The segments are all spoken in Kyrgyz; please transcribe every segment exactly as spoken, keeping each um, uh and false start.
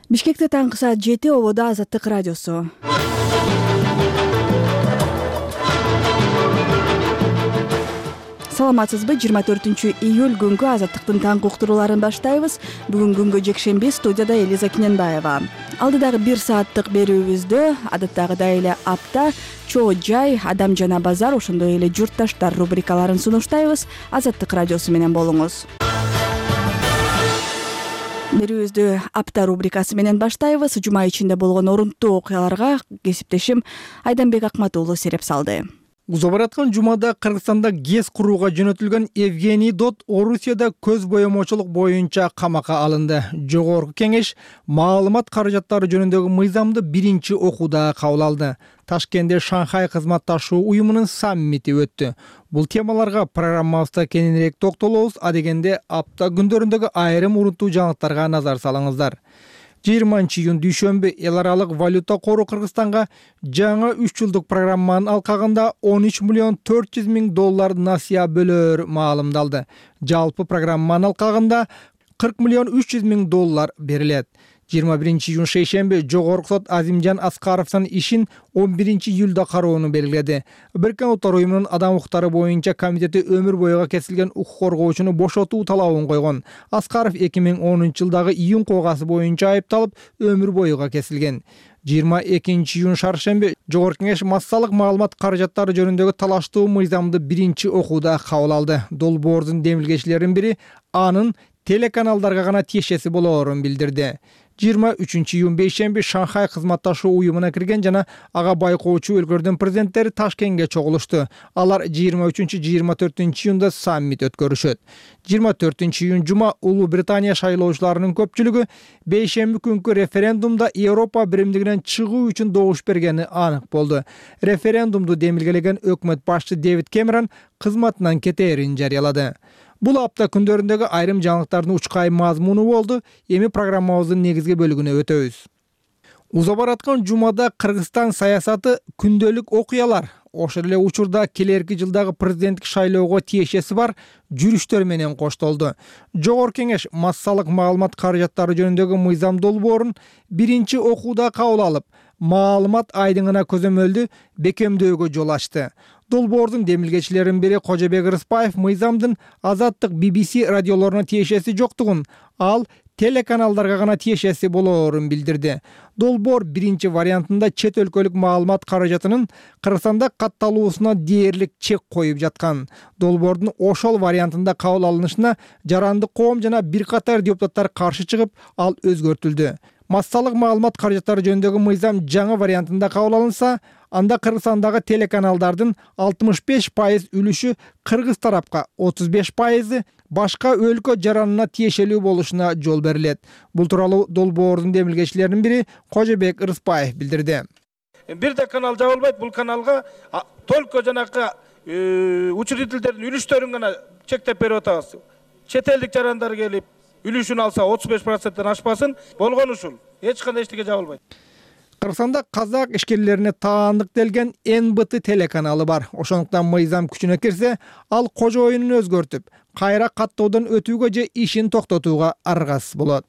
Бишкекте таңкы саат жети, ободо Азаттык радиосу. Саламатсызбы? жыйырма төртүнчү июль күнгү Азаттыктын таңкы уктурууларын баштайбыз. Бүгүн күнгө жекшемби, студияда Элиза Киненбаева. Алдыдагы бир сааттык берүүбүздө адаттагыдай эле апта, чоо жай, адам жана базар, ошондой эле журтташтар рубрикаларын сунуштайбыз. Азаттык радиосу менен болуңуз. Берүүбүздү апта рубрикасы менен баштайбыз. Жума ичинде болгон орунттуу окуяларга кесиптешим Айданбек Акмат уулу сереп салды. Уза бараткан жумада Кыргызстанда ГЭС курууга жөнөтүлгөн Евгений Дот Орусияда көз боемочулук боюнча камакка алынды. Жогорку кеңеш маалымат каражаттары жөнүндөгү мыйзамды биринчи окууда кабыл алды. Ташкентте Шанхай кызматташуу уюмунун саммити өттү. Бул темаларга программабызда кененирээк токтолобуз, а дегенде апта күндөрүндөгү айрым урунттуу жаңылыктарга назар салыңыздар. жыйырманчы июнь дүйшөмбү эл аралык валюта кору Кыргызстанга жаңы үч жылдык программанын алкагында он үч миллион төрт жүз миң доллар насыя бөлөөр маалымдалды. Жалпы программанын алкагында кырк миллион үч жүз миң доллар берилет. жыйырма биринчи июнь шейшемби Жогорку сот Азимжан Аскаровдун ишин он биринчи июлда кароону белгиледи. Бириккен Улуттар уюмунун адам укуктары боюнча комитети өмүр бойуга кесилген укук коргоочуну бошотуу талабын койгон. Аскаров эки миң онунчу жылдагы июнь коогасы боюнча айыпталып, өмүр бойуга кесилген. жыйырма экинчи июнь шаршемби Жогорку кеңеш массалык маалымат каражаттары жөнүндөгү талаштуу мыйзамды биринчи окууда кабыл алды. Долбоордун демилгечилеринин бири анын телеканалдарга гана тиешеси болоорун билдирди. жыйырма үчүнчү июнь бейшемби Шанхай кызматташуу уюмуна кирген жана ага байкоочу өлкөлөрдүн президенттери Ташкентке чогулушту. Алар жыйырма үчүнчү жыйырма төртүнчү июнда саммит өткөрүшөт. жыйырма төртүнчү июнь жума Улуу Британия шайлоочуларынын көпчүлүгү бейшемби күнкү референдумда Европа биримдигинен чыгуу үчүн добуш бергени анык болду. Референдумду демилгелеген өкмөт башчы Дэвид Кэмерон кызматынан кетээрин жарыялады. Бул апта күндөрүндөгү айрым жаңылыктардын учкай мазмуну болду. Эми программабыздын негизги бөлүгүнө өтөбүз. Уза бараткан жумада Кыргызстан саясаты күндөлүк окуялар, ошол эле учурда келерки жылдагы президенттик шайлоого тиешеси бар жүрүштөр менен коштолду. Жогорку кеңеш массалык маалымат каражаттары жөнүндөгү мыйзам долбоорун биринчи окууда кабыл алып, маалымат айдыңына көзөмөлдү бекемдөөгө жол ачты. Долбоордун демилгечилеринин бири Кожобек Рыспаев мыйзамдын Азаттык би би си радиолоруна тиешеси жоктугун, ал телеканалдарга гана тиешеси болоорун билдирди. Долбоор биринчи вариантында чет өлкөлүк маалымат каражатынын Кыргызстанда катталуусуна дээрлик чек коюп жаткан. Долбоордун ошол вариантында кабыл алынышына жарандык коом жана бир катар депутаттар каршы чыгып, ал өзгөртүлдү. Массалык маалымат каражаттары жөнүндөгү мыйзам жаңы вариантында кабыл алынса, анда Кыргызстандагы телеканалдардын алтымыш беш пайыз үлүшү кыргыз тарапка, отуз беш пайызы башка өлкө жаранына тиешелүү болушуна жол берилет. Бул тууралуу долбоордун демилгечилеринин бири Кожобек Рыспаев билдирди. Бирде канал жабылбайт, бул каналга только жанакы учредителдердин үлүштөрүн гана чектеп берип атабыз. Чет элдик жарандар келип үлүшүн алса отуз беш проценттен ашпасын, болгон ушул. Эч кандай эчтеке жабылбайт. Кыргызстанда казак ишкерлерине таандык делген эн бэ тэ телеканалы бар. Ошондуктан мыйзам күчүнө кирсе, ал кожоюнун өзгөртүп, кайра каттоодон өтүүгө же ишин токтотууга аргасыз болот.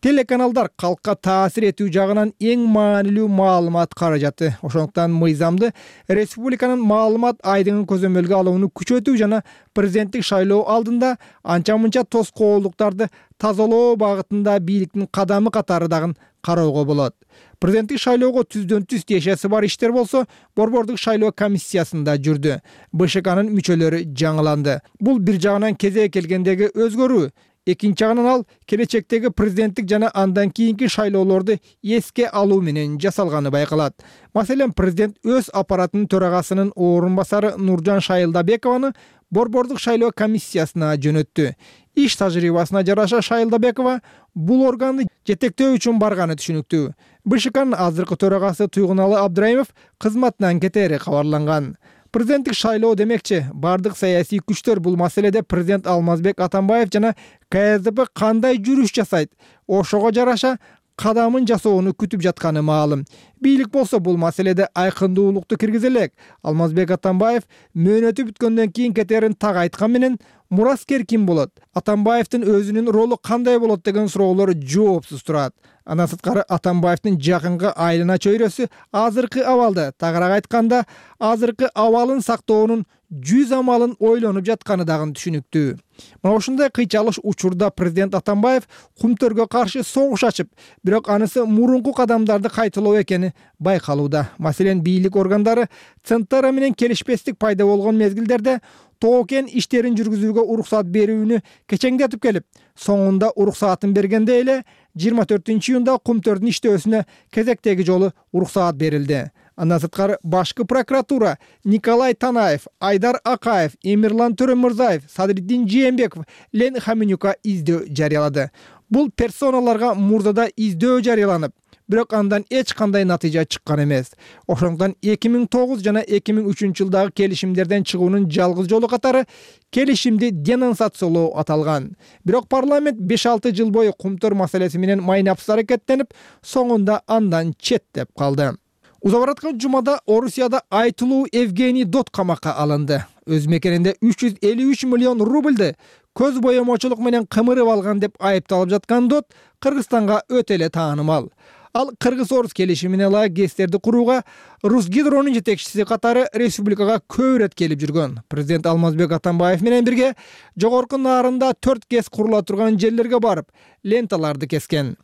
Телеканалдар калкка таасир этүү жагынан эң маанилүү маалымат каражаты. Ошондуктан мыйзамды республиканын маалымат айдыңын көзөмөлгө алууну күчөтүү жана президенттик шайлоо алдында анча-мынча тоскоолдуктарды тазалоо багытында бийликтин кадамы катары дагы кароого болот. Президенттик шайлоого түздөн түз тиешеси бар иштер болсо, Борбордук шайлоо комиссиясында жүрдү. бэ ш кнын мүчөлөрү жаңыланды. Бул бир жагынан кезек келгендеги өзгөрүү, экинчи жагынан ал келечектеги президенттик жана андан кийинки шайлоолорду эске алуу менен жасалганы байкалат. Маселен, президент өз аппаратынын төрагасынын орун басары Нуржан Шайылдабекованы Борбордук шайлоо комиссиясына жөнөттү. Иш тажрыйбасына жараша Шайылдабекова бул органды жетектөө үчүн барганы түшүнүктүү. бэ ш кнын азыркы төрагасы Туйгуналы Абдраимов кызматынан кетери кабарланган. Президенттик шайлоо демекчи, бардык саясий күчтөр бул маселеде президент Алмазбек Атамбаев жана ка эс дэ пэ кандай жүрүш жасайт, ошого жараша кадамын жасоону күтүп жатканы маалым. Бийлик болсо бул маселеде айкындуулукту киргизе элек. Алмазбек Атамбаев мөөнөтү бүткөндөн кийин кетерин так айткан менен, мураскер ким болот, Атамбаевдин өзүнүн ролу кандай болот деген суроолор жоопсуз турат. Андан сырткары Атамбаевдин жакынкы айлана чөйрөсү азыркы абалды, тагыраак айтканда, азыркы абалын сактоонун жүз амалын ойлонуп жатканы дагы түшүнүктүү. Мына ушундай кыйчалыш учурда президент Атамбаев кумтөргө каршы согуш ачып, бирок анысы мурунку кадамдарды кайталоо экени байкалууда. Маселен, бийлик органдары Центара менен келишпестик пайда болгон мезгилдерде тоо-кен иштерин жүргүзүүгө уруксат берүүнү кечеңдетип келип, соңунда уруксатын бергенде эле жыйырма төртүнчү июнда кумтөрдүн иштөөсүнө кезектеги жолу уруксаат берилди. Андан сырткары башкы прокуратура Николай Танаев, Айдар Акаев, Эмирлан Төрөмүрзаев, Садриддин Жээнбеков Лен Хаменюка издөө жарыялады. Бул персоналарга мурдада издөө жарыяланып, бирок андан эч кандай натыйжа чыккан эмес. Ошондуктан эки миң тогуз жана эки миң үчүнчү жылдагы келишимдерден чыгуунун жалгыз жолу катары келишимди денонсациялоо аталган. Бирок парламент беш алты жыл бою кумтөр маселеси менен майнапсыз аракеттенип, соңунда андан четтеп калды. Уза бараткан жумада Орусияда айтылуу Евгений Дот камакка алынды. Өз мекенинде үч жүз элүү үч миллион рубльды көз боемочулук менен кымырып алган деп айыпталып жаткан Дот Кыргызстанга өтө эле таанымал. Ал Кыргыз-Орус келишимине ылайык ГЭСтерди курууга Русгидронун жетекчиси катары республикага көп ирет келип жүргөн. Президент Алмазбек Атамбаев менен бирге жогорку Нарында төрт ГЭС курула турган жерлерге барып, ленталарды кескен.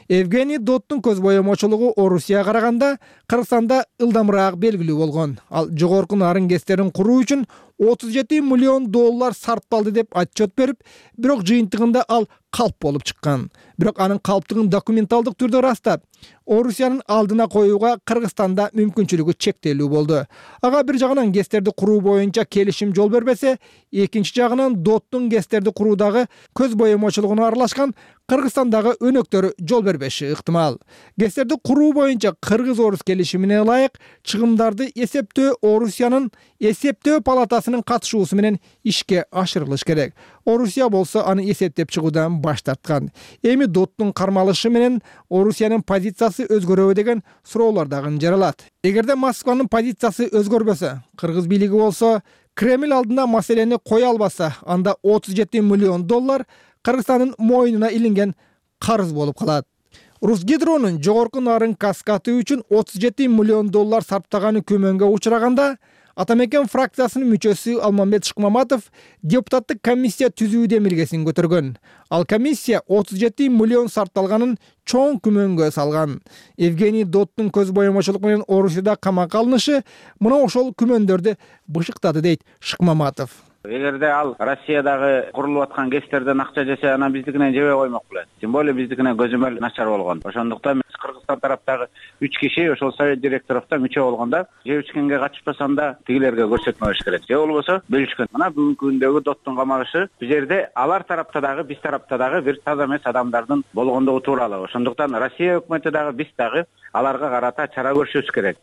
Евгений Доттун көз боемочулугу Орусияга караганда Кыргызстанда ылдамыраак белгилүү болгон. Ал жогорку Нарын ГЭСтерин куруу үчүн отуз жети миллион доллар сарпталды деп отчет берип, бирок жыйынтыгында ал калп болуп чыккан. Бирок анын калптыгын документалдык түрдө ырастап, Орусиянын алдына коюуга Кыргызстанда мүмкүнчүлүгү чектелүү болду. Ага бир жагынан ГЭСтерди куруу боюнча келишим жол бербесе, экинчи жагынан Доттун ГЭСтерди куруудагы көз боемочулугуна аралашкан Кыргызстандагы өнөктөрү жол бербеши ыктымал. ГЭСтерди куруу боюнча Кыргыз-Орус келишимине ылайык чыгымдарды эсептөө Орусиянын эсептөө палатасынын катышуусу менен ишке ашырылыш керек. Орусия болсо аны эсептеп чыгуудан баш тарткан. Эми Доттун кармалышы менен Орусиянын позициясы өзгөрөбү деген суроолор дагы жаралат. Эгерде Москванын позициясы өзгөрбөсө, Кыргыз бийлиги болсо Кремль алдына маселени кое албаса, анда отуз жети миллион доллар Кыргызстандын мойнуна илинген карыз болуп калат. Русгидронун жогорку Нарын каскаты үчүн отуз жети миллион доллар сарптаганы күмөнгө учураганда, Атамекен фракциясынын мүчөсү Алмамбет Шыкмаматов депутаттык комиссия түзүү демилгесин көтөргөн. Ал комиссия отуз жети миллион сарпталганын чоң күмөнгө салган. Евгений Доттун көз боемочулук менен Орусияда камакка алынышы мына ошол күмөндөрдү бышыктады дейт Шыкмаматов. Эгерде ал Россиядагы курулуп аткан ГЭСтерден акча жесе, анан биздикинен жебей коймок белет. Тем более биздикинен көзөмөл начар болгон. Ошондуктан Кыргызстан тараптагы үч киши ошол совет директоровдо мүчө болгондо, жеп ичкенге катышпасам да тигилерге көрсөтмө бериш керек. Же болбосо бөлүшкөн. Мына бүгүнкү күндөгү Доттун камагышы бул жерде алар тарапта дагы, биз тарапта дагы бир таза эмес адамдардын болгондугу тууралуу. Ошондуктан Россия өкмөтү дагы, биз дагы аларга карата чара көрүшүбүз керек.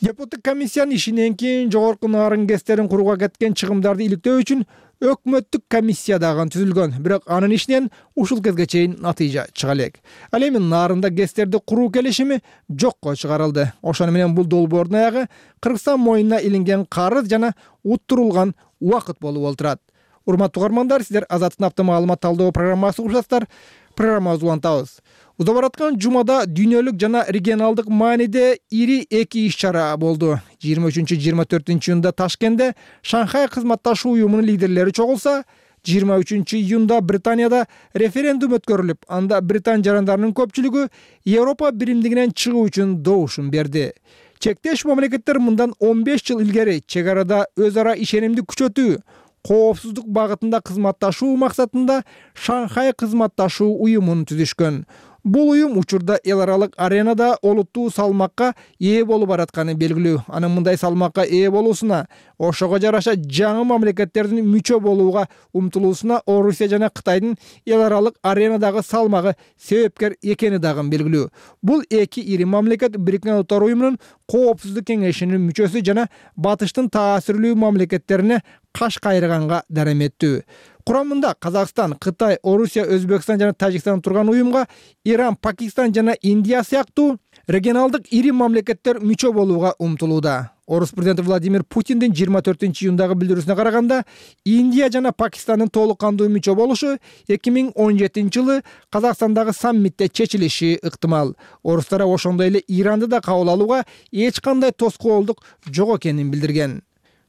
Депутаттык комиссиянын ишинен кийин жогорку Нарын ГЭСтерин курууга кеткен чыгымдарды иликтөө үчүн өкмөттүк комиссия дагы түзүлгөн. Бирок анын ишинен ушул кезге чейин натыйжа чыга элек. Ал эми Нарында ГЭСтерди куруу келишими жокко чыгарылды. Ошону менен бул долбоордун аягы Кыргызстан мойнуна илинген карыз жана уттурулган убакыт болуп олтурат. Урматтуу угармандар, сиздер Азаттын автомаалымат талдоо программасы угушасыздар. Программабызды улантабыз. Уза бараткан жумада дүйнөлүк жана регионалдык мааниде ири эки иш-чара болду. жыйырма үчүнчү жыйырма төртүнчү июнда Ташкентте Шанхай кызматташуу уюмунун лидерлери чогулса, жыйырма үчүнчү июнда Британияда референдум өткөрүлүп, анда Британ жарандарынын көпчүлүгү Европа биримдигинен чыгуу үчүн добушун берди. Чектеш мамлекеттер мындан он беш жыл илгери чек арада өз ара ишенимди күчөтүү, коопсуздук багытында кызматташуу максатында Шанхай кызматташуу уюмун түзүшкөн. Бул уюм учурда эл аралык аренада олуттуу салмакка ээ болуп баратканы белгилүү. Анын мындай салмакка ээ болуусуна, ошого жараша жаңы мамлекеттердин мүчө болууга умтулуусуна Орусия жана Кытайдын эл аралык аренадагы салмагы себепкер экени дагы белгилүү. Бул эки ири мамлекет Бириккен Улуттар уюмунун коопсуздук кеңешинин мүчөсү жана батыштын таасирлүү мамлекеттерине каш кайрыганга дареметтүү. Курамында Казакстан, Кытай, Орусия, Өзбекстан жана Тажикстан турган уюмга Иран, Пакистан жана Индия сыяктуу регионалдык ири мамлекеттер мүчө болууга умтулууда. Орус президенти Владимир Путиндин жыйырма төртүнчү июндагы билдирүүсүнө караганда, Индия жана Пакистандын толук кандуу мүчө болушу эки миң он жетинчи жылы Казакстандагы саммитте чечилиши ыктымал. Орустар ошондой эле Иранды да кабыл алууга эч кандай тоскоолдук жок экенин билдирген.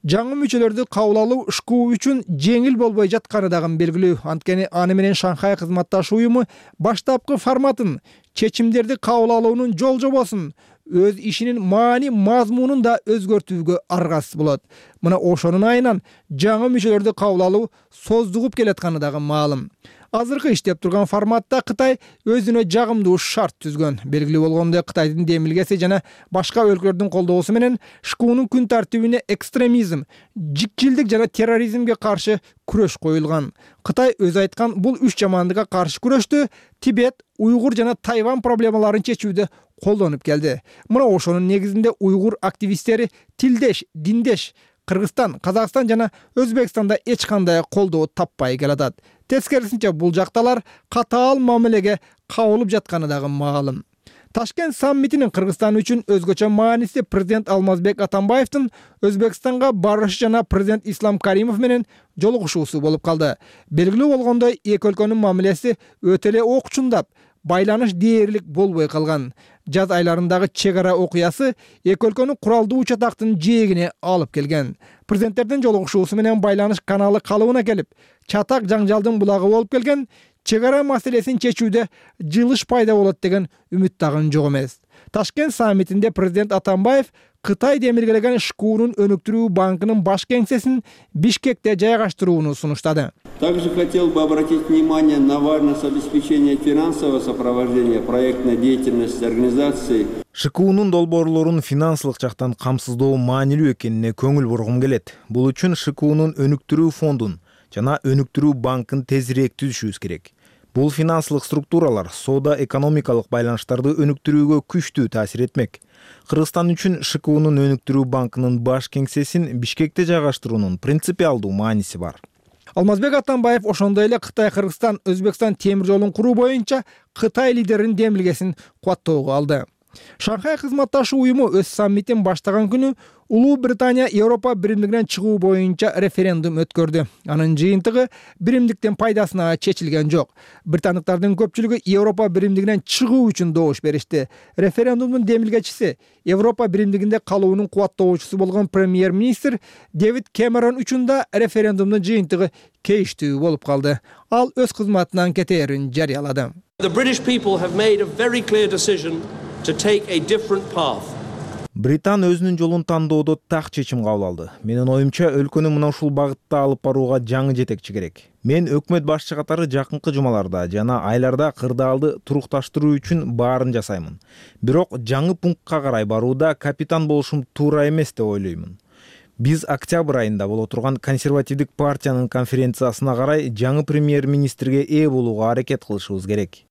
Жаңы мүчөлөрдү кабыл алуу ШКУ үчүн жеңил болбой жатканы дагы белгилүү. Анткени аны менен Шанхай кызматташ уюму баштапкы форматын, чечимдерди кабыл алуунун жол жобосун, өз ишинин маани мазмунун да өзгөртүүгө аргасыз болот. Мына ошонун айынан жаңы мүчөлөрдү кабыл алуу создугуп келатканы дагы маалым. Азыркы иштеп турган форматта Кытай өзүнө жагымдуу шарт түзгөн. Белгилүү болгондой, Кытайдын демилгеси жана башка өлкөлөрдүн колдоосу менен ШКУнун күн тартибине экстремизм, жикчилдик жана терроризмге каршы күрөш коюлган. Кытай өзү айткан бул үч жамандыкка каршы күрөштү Тибет, Уйгур жана Тайвань проблемаларын чечүүдө колдонуп келди. Мына ошонун негизинде уйгур активисттери тилдеш, диндеш Кыргызстан, Казакстан жана Өзбекстанда эч кандай колдоо таппай келатат. Тескерисинче бул жакталар катаал мамилеге кабылып жатканы дагы маалым. Ташкент саммитинин Кыргызстан үчүн өзгөчө мааниси президент Алмазбек Атамбаевдин Өзбекстанга барышы жана президент Ислам Каримов менен жолугушуусу болуп калды. Белгилүү болгондой, эки өлкөнүн мамилеси өтө эле окчундап, байланыш дээрлик болбой калган. Жаз айларындагы чек ара окуясы эки өлкөнүн куралдуу учактын жээгине алып келген. Президенттердин жолугушуусу менен байланыш каналы калыбына келип, чатак жаңжалдын булагы болуп келген. Чек ара маселесин чечүүдө жылыш пайда болот деген үмүт дагы жок эмес. Ташкент саммитинде президент Атамбаев Кытай демилгелеген ШКУнун өнүктүрүү банкынын баш кеңсесин Бишкекте жайгаштырууну сунуштады. Также хотел бы обратить внимание на важность обеспечения финансового сопровождения проектной деятельности организации. ШКУнун долбоорлорун финансылык жактан камсыздоо маанилүү экенине көңүл бургум келет. Бул үчүн ШКУнун өнүктүрүү фондун жана өнүктүрүү банкын тезирээк түзүшүбүз керек. Бул финансылык структуралар соода экономикалык байланыштарды өнүктүрүүгө күчтүү таасир этмек. Кыргызстан үчүн ШКУнун өнүктүрүү банкынын баш кеңсесин Бишкекте жайгаштыруунун принципиалдуу мааниси бар. Алмазбек Атамбаев ошондой эле Кытай, Кыргызстан, Өзбекстан темир жолун куруу боюнча Кытай лидеринин демилгесин кубаттоого алды. Шанхай кызматташы уюму өз саммитин баштаган күнү Улуу Британия Европа биримдигинен чыгуу боюнча референдум өткөрдү. Анын жыйынтыгы биримдиктин пайдасына чечилген жок. Британдыктардын көпчүлүгү Европа биримдигинен чыгуу үчүн добуш беришти. Референдумдун демилгечиси, Европа биримдигинде калуунун кубаттоочусу болгон премьер-министр Дэвид Кэмерон үчүн да референдумдун жыйынтыгы кейиштүү болуп калды. Ал өз кызматынан кетээрин жарыялады. The British people have made a very clear decision to take a different path. Британ өзүнүн жолун тандоодо так чечим кабыл алды. Менин оюмча, өлкөнү мына ушул багытта алып барууга жаңы жетекчи керек. Мен өкмөт башчы катары жакынкы жумаларда жана айларда кырдаалды турукташтыруу үчүн баарын жасаймын. Бирок жаңы пунктка карай барууда капитан болушум туура эмес деп ойлоймун. Биз октябрь айында боло турган консервативдик партиянын конференциясына карай жаңы премьер-министрге ээ болууга аракет кылышыбыз керек.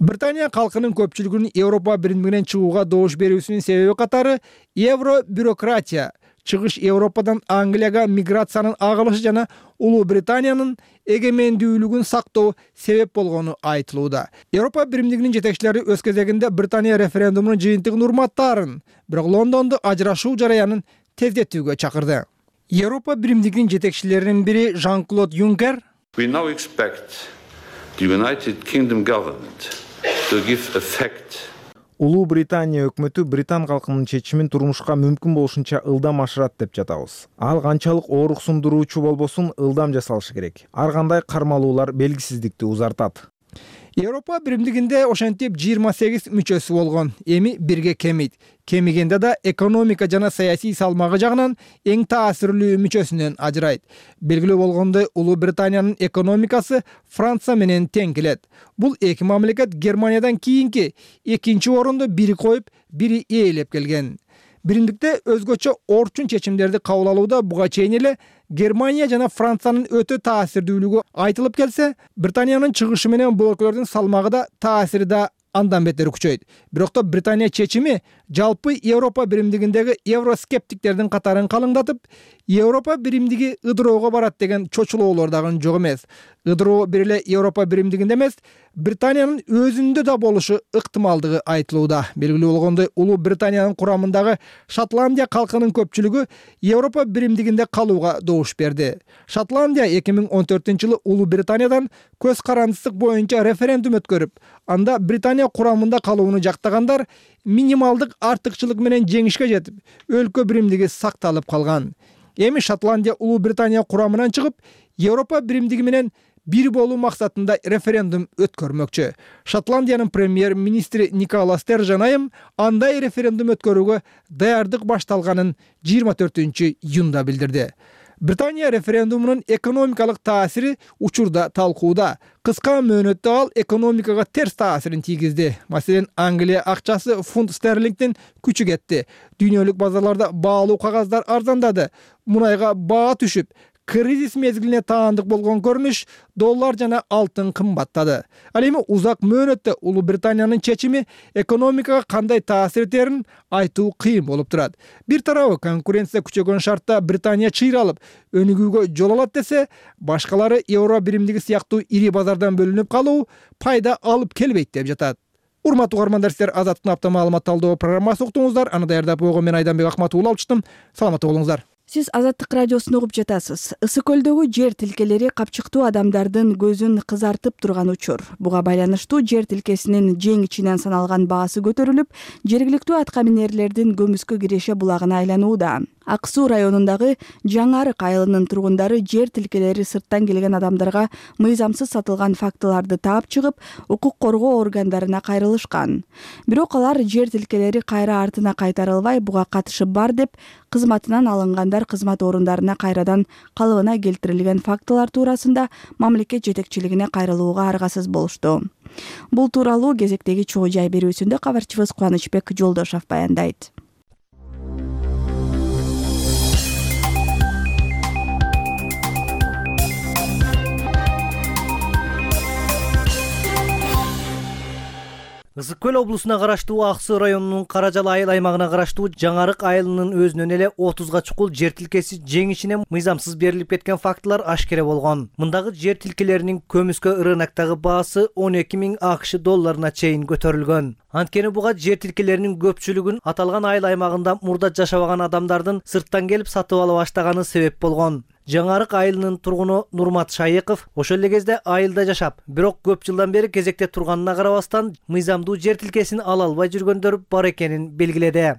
Британия калкынын көпчүлүгүнүн Европа биримдигинен чыгууга добуш берүүсүнүн себеби катары евро бюрократия, чыгыш Европадан Англияга миграциянын агылышы жана Улуу Британиянын эгемендүүлүгүн сактоо себеп болгону айтылууда. Европа биримдигинин жетекчилери өз кезегинде Британия референдумунун жыйынтыгын урматтаарын, бирок Лондонду ажырашуу жараянын тездетүүгө чакырды. Европа биримдигинин жетекчилеринин бири Жан-Клод Юнкер We now expect the United Kingdom government to give effect. Улуу Британия өкмөтү Британ калкынын чечимин турмушка мүмкүн болушунча ылдам ашырат деп жатабыз. Ал канчалык ооруксундуруучу болбосун ылдам жасалышы керек. Ар кандай кармалуулар белгисиздикти узартат. Европа биримдигинде ошентип жыйырма сегиз мүчөсү болгон. Эми бирге кемейт. Кемигенде да экономика жана саясий салмагы жагынан эң таасирлүү мүчөсүнөн ажырайт. Белгилүү болгондой, Улуу Британиянын экономикасы Франция менен тең келет. Бул эки мамлекет Германиядан кийинки экинчи орунду бири коюп, бири ээлеп келген. Биримдикте өзгөчө орчун чечимдерди кабыл алууда буга чейин эле Германия жана Франциянын өтө таасирдүүлүгү айтылып келсе, Британиянын чыгышы менен бул өлкөлөрдүн салмагы да таасири да андан бетер күчөйт. Бирок Британия чечими жалпы Европа биримдигиндеги евроскептиктердин катарын калыңдатып, Европа биримдиги ыдыроого барат деген чочулоолор дагы жок эмес. Ыдыроо бир эле Европа биримдигинде эмес, Британиянын өзүндө да болушу ыктымалдыгы айтылууда. Белгилүү болгондой, Улуу Британиянын курамындагы Шотландия калкынын көпчүлүгү Европа биримдигинде калууга добуш берди. Шотландия эки миң он төртүнчү жылы Улуу Британиядан көз карандысыздык боюнча референдум өткөрүп, анда Британия курамында калууну жактагандар минималдык артыкчылык менен жеңишке жетип, өлкө биримдиги сакталып калган. Эми Шотландия Улуу Британия курамынан чыгып, Европа биримдиги менен бир болуу максатында референдум өткөрмөкчү. Шотландиянын премьер-министри Никола Стержен айым андай референдум өткөрүүгө даярдык башталганын жыйырма төртүнчү июнда билдирди. Британия референдумунун экономикалык таасири учурда талкууда. Кыска мөөнөттө ал экономикага терс таасирин тийгизди. Маселен, Англия акчасы фунт стерлингдин күчү кетти. Дүйнөлүк базарларда баалуу кагаздар арзандады. Мунайга баа түшүп, кризис мезгилине таандык болгон көрүнүш доллар жана алтын кымбаттады. Ал эми узак мөөнөттө Улуу Британиянын чечими экономикага кандай таасир этерин айтуу кыйын болуп турат. Бир тарабы конкуренция күчөгөн шартта Британия чыйралып, өнүгүүгө жол алат десе, башкалары евро биримдиги сыяктуу ири базардан бөлүнүп калуу пайда алып келбейт деп жатат. Урматтуу угармандар, силер Азаттыктын апта маалымат талдоо программасын уктуңуздар. Аны даярдап койгон мен Айданбек Акматов алчыштым. Саламатта болуңуздар. Сиз Азаттык радиосун угуп жатасыз. Ысык көлдөгү жер тилкелери капчыктуу адамдардын көзүн кызартып турган учур. Буга байланыштуу жер тилкесинин жең ичинен саналган баасы көтөрүлүп, жергиликтүү атка минерлердин көмүскө киреше булагына айланууда. Ак Суу районундагы Жаңарык айылынын тургундары жер тилкелери сырттан келген адамдарга мыйзамсыз сатылган фактыларды таап чыгып, укук коргоо органдарына кайрылышкан. Бирок алар жер тилкелери кайра артына кайтарылбай, буга катышы бар деп, кызматынан алынгандар кызмат орундарына кайрадан калыбына келтирилген фактылар туурасында мамлекет жетекчилигине кайрылууга аргасыз болушту. Бул тууралуу кезектеги чогуу жай берүүсүндө кабарчыбыз Кубанычбек Жолдошов баяндайт. Ысык көл облусуна караштуу Ак Суу районунун Каражал айыл аймагына караштуу Жаңарык айылынын өзүнөн эле отузга чукул жер тилкеси жең ичинен мыйзамсыз берилип кеткен фактылар ашкере болгон. Мындагы жер тилкелеринин көмүскө рыноктогу баасы он эки миң АКШ долларына чейин көтөрүлгөн. Анткени буга жер тилкелеринин көпчүлүгүн аталган айыл аймагында мурда жашабаган адамдардын сырттан келип сатып ала баштаганы себеп болгон. Жаңарык айылынын тургуну Нурмат Шайыков ошол эле кезде айылда жашап, бирок көп жылдан бери кезекте турганына карабастан, мыйзамдуу жер тилкесин ала албай жүргөндөр бар экенин белгиледи.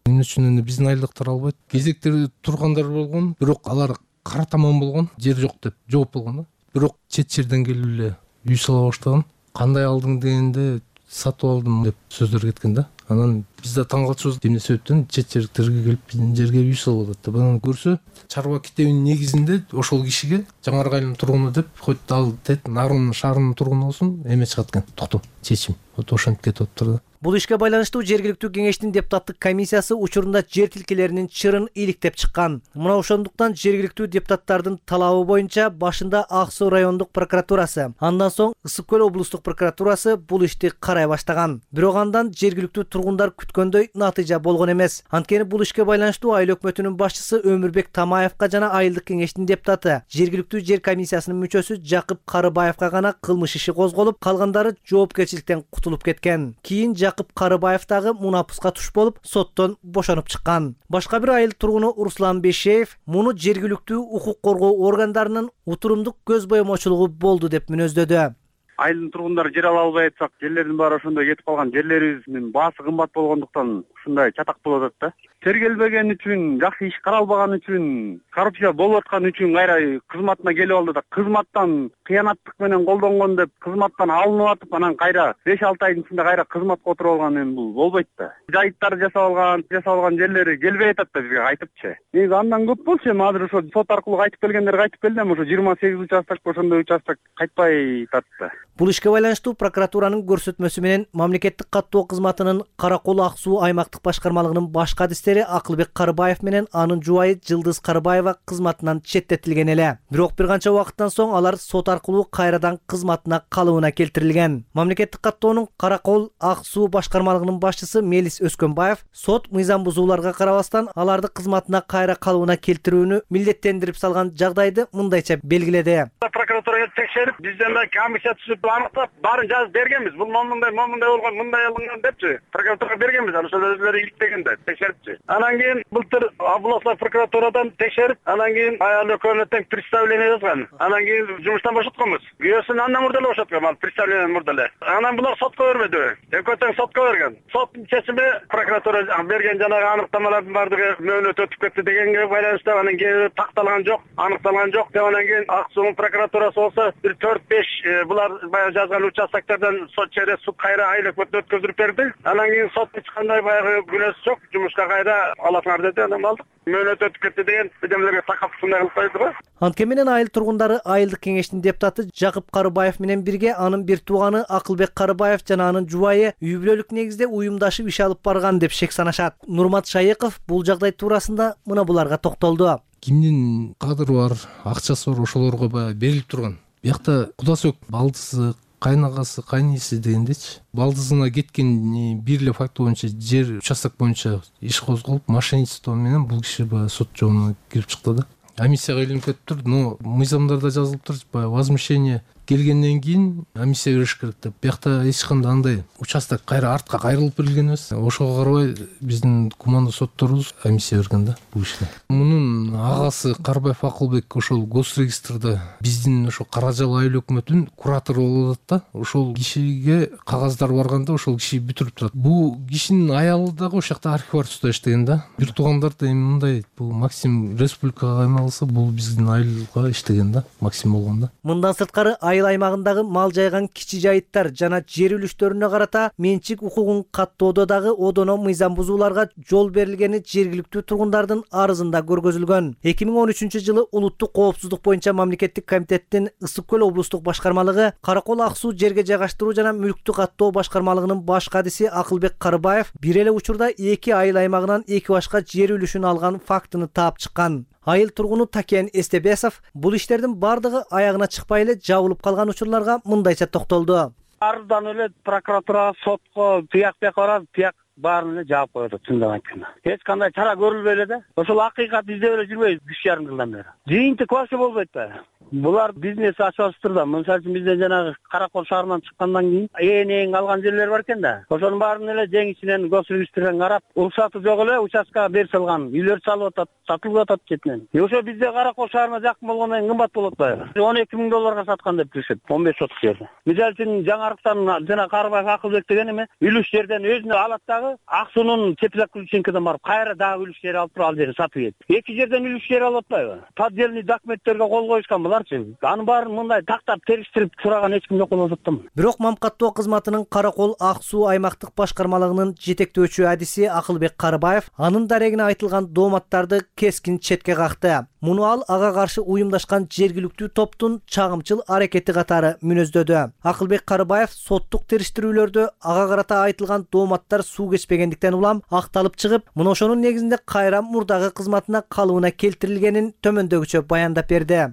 Эмне үчүн эми биздин айылдыктар албайт? Кезекте тургандар болгон, бирок алар кара таман болгон, жер жок деп жооп болгон да. Бирок чет жерден келип эле үй сала баштаган. Кандай алдың дегенде сатып алдым деп сөздөр кеткен да. Анан биз да таң калчубуз, эмне себептен чет жердерге келип биздин жерге үй салып атат деп. Анан көрсө, чарба китебинин негизинде ошол кишиге Жаңарык айылынын тургуну деп, хоть ал тет Нарын шаарынын тургуну болсун, эме чыгат экен. Токтом, чечим. Вот ошентип кетип атыптыр да. Бул ишке байланыштуу жергиликтүү кеңештин депутаттык комиссиясы учурунда жер тилкелеринин чырын иликтеп чыккан. Мына ошондуктан жергиликтүү депутаттардын талабы боюнча башында Ак Суу райондук прокуратурасы, андан соң Ысык көл облустук прокуратурасы бул ишти карай баштаган. Бирок андан жергиликтүү тургундар күткөндөй натыйжа болгон эмес. Анткени бул ишке байланыштуу айыл өкмөтүнүн башчысы Өмүрбек Тамаевка жана айылдык кеңештин депутаты, жергиликтүү жер комиссиясынын мүчөсү Жакып Карыбаевка гана кылмыш иши козголуп, калгандары жоопкерчиликтен кутулуп кеткен. Кийин Жакып Карыбаев дагы мунапуска туш болуп, соттон бошонуп чыккан. Башка бир айыл тургуну Руслан Бешеев муну жергиликтүү укук коргоо органдарынын утурумдук көз боемочулугу болду деп мүнөздөдү. Айылдын тургундары жер ала албай атсак, жерлердин баары ошондой кетип калган, жерлерибиздин баасы кымбат болгондуктан ушундай чатак болуп атат да. Тергелбеген үчүн, жакшы иш каралбаган үчүн, коррупция болуп аткан үчүн кайра кызматына келип алды да, кызматтан кыянаттык менен колдонгон деп кызматтан алынып атып, анан кайра беш алты айдын ичинде кайра кызматка отуруп алган, эми бул болбойт да. Жайыттар жасап алган, жасап алган жерлери келбей атат да бизге кайтыпчы. Негизи андан көп болчу, эми азыр ошо сот аркылуу кайтып келгендер кайтып келди, эми ошо жыйырма сегиз участок ошондой участок кайтпай атат да. Бул ишке байланыштуу прокуратуранын көрсөтмөсү менен мамлекеттик каттоо кызматынын Каракол Ак Суу аймактык башкармалыгынын баш кадистери кишилери Акылбек Карыбаев менен анын жубайы Жылдыз Карыбаева кызматынан четтетилген эле. Бирок бир канча убакыттан соң алар сот аркылуу кайрадан кызматына калыбына келтирилген. Мамлекеттик каттоонун Каракол Ак суу башкармалыгынын башчысы Мелис Өскөнбаев сот мыйзам бузууларга карабастан аларды кызматына кайра калыбына келтирүүнү милдеттендирип салган жагдайды мындайча белгиледи. Прокуратурага текшерип, бизден да комиссия түзүп аныктап, баарын жазып бергенбиз. Бул момундай, момундай болгон, мындай алынган депчи. Прокуратурага бергенбиз, ошол өзүлөрү иликтегенде текшерипчи. Анан кийин былтыр областный прокуратурадан текшерип, анан кийин аял экөөнө тең представление жазган. Анан кийин жумуштан бошотконбуз. Күйөөсүн андан мурда эле бошоткон, ал представление мурда эле. Анан булар сотко бермеди. Экөө тең сотко берген. Соттун чечими прокуратура берген жанагы аныктамалардын баардыгы мөөнөт өтүп кетти дегенге байланыштуу анан кийин такталган жок, аныкталган жок деп анан кийин Ак суунун прокуратурасы болсо бир төрт беш булар баягы жазган участоктордон сот через суд кайра айлык өткөзүп берди. Анан кийин сот эч кандай баягы күнөөсү жок, жумушка кайра аласыңар деди. Анан алдык. Мөөнөт өтүп кетти деген демелерге такап ушундай кылып койду го. Анткени менен айыл тургундары айылдык кеңештин депутаты Жакып Карыбаев менен бирге анын бир тууганы Акылбек Карыбаев жана анын жубайы үй бүлөлүк негизде уюмдашып иш алып барган деп шек санашат. Нурмат Шайыков бул жагдай туурасында мына буларга токтолду. Кимдин кадыры бар, акчасы бар ошолорго баягы берилип турган. Биякта Кудасөк балдысы, кайнагасы, кайниси дегендечи. Балдызына кеткен бир эле факт боюнча жер участок боюнча иш козголуп, мошенничество менен бул киши баягы сот жообуна кирип чыкты да. Комиссияга илинип кетиптир, но мыйзамдарда жазылыптыр, баягы возмущение келгенден кийин комиссия кириш керек деп. Биякта эч кандай андай участок кайра артка кайрылып берилген эмес. Ошого карабай биздин команда сотторубуз комиссия берген да бул ишке. Мунун агасы Карыбаев Акылбек ошол госрегистрде биздин ошо Каражал айыл өкмөтүнүн куратору болуп атат да. Ошол кишиге кагаздар барганда ошол киши бүтүрүп турат. Бул кишинин аялы дагы ошол жакта архивариусда иштеген да. Бир туугандар да эми мындай бул Максим республикага каймалса, бул биздин айылга иштеген да, Максим болгон да. Мындан сырткары айыл аймагындагы мал жайган кичи жайыттар жана жер үлүштөрүнө карата менчик укугун каттоодо дагы одоно мыйзам бузууларга жол берилгени жергиликтүү тургундардын арызында көргөзүлгөн. эки миң он үчүнчү жылы улуттук коопсуздук боюнча мамлекеттик комитеттин Ысык көл облустук башкармалыгы Каракол Ак суу жерге жайгаштыруу жана мүлктү каттоо башкармалыгынын баш кадиси Акылбек Карыбаев бир эле учурда эки айыл аймагынан эки башка жер үлүшүн алган фактыны таап чыккан. Айыл тургуну Такен Эстебесов бул иштердин бардыгы аягына чыкпай эле жабылып калган учурларга мындайча токтолду. Арыздан эле прокуратурага, сотко тияк бияк барат, тияк баарын эле жаап коет, чындап айтканда. Эч кандай чара көрүлбөй эле да. Ошол акыйкат издеп эле жүрбөйбүз үч жарым жылдан бери. Жыйынтык вообще болбойт да. Булар бизнес ачып да. Мисалы үчүн бизден жанагы Каракол шаарынан чыккандан кийин ээн-ээн алган жерлер бар экен да. Ошонун баарын эле жеңишинен госрегистрден карап, уруксаты жок эле участкага берип салган. Үйлөр салып атат, сатылып атат четинен. И ошо бизде Каракол шаарына жакын болгондон кийин кымбат болот атпайбы? он эки миң долларга саткан деп билишет. он беш соток жерди. Мисалы үчүн жаңарыктан жана Карыбаев Акылбек деген эме үлүш жерден өзүнө алат дагы Ак суунун Чепизак Ключенкеден барып кайра дагы үлүш жер алып туруп ал жерди сатып ийет. Эки жерден үлүш жер алып атпайбы? Поддельный документтерге кол коюшкан буларчы. Анын баарын мындай тактап териштирип сураган эч ким жок болуп атат. Бирок мамкаттоо кызматынын Каракол Ак суу аймактык башкармалыгынын жетектөөчү адиси Акылбек Карыбаев анын дарегине айтылган дооматтарды кескин четке какты. Муну ал ага каршы уюмдашкан жергиликтүү топтун чагымчыл аракети катары мүнөздөдү. Акылбек Карыбаев соттук териштирүүлөрдө ага карата айтылган дооматтар суу кечпегендиктен улам акталып чыгып, мына ошонун негизинде кайра мурдагы кызматына калыбына келтирилгенин төмөндөгүчө баяндап берди.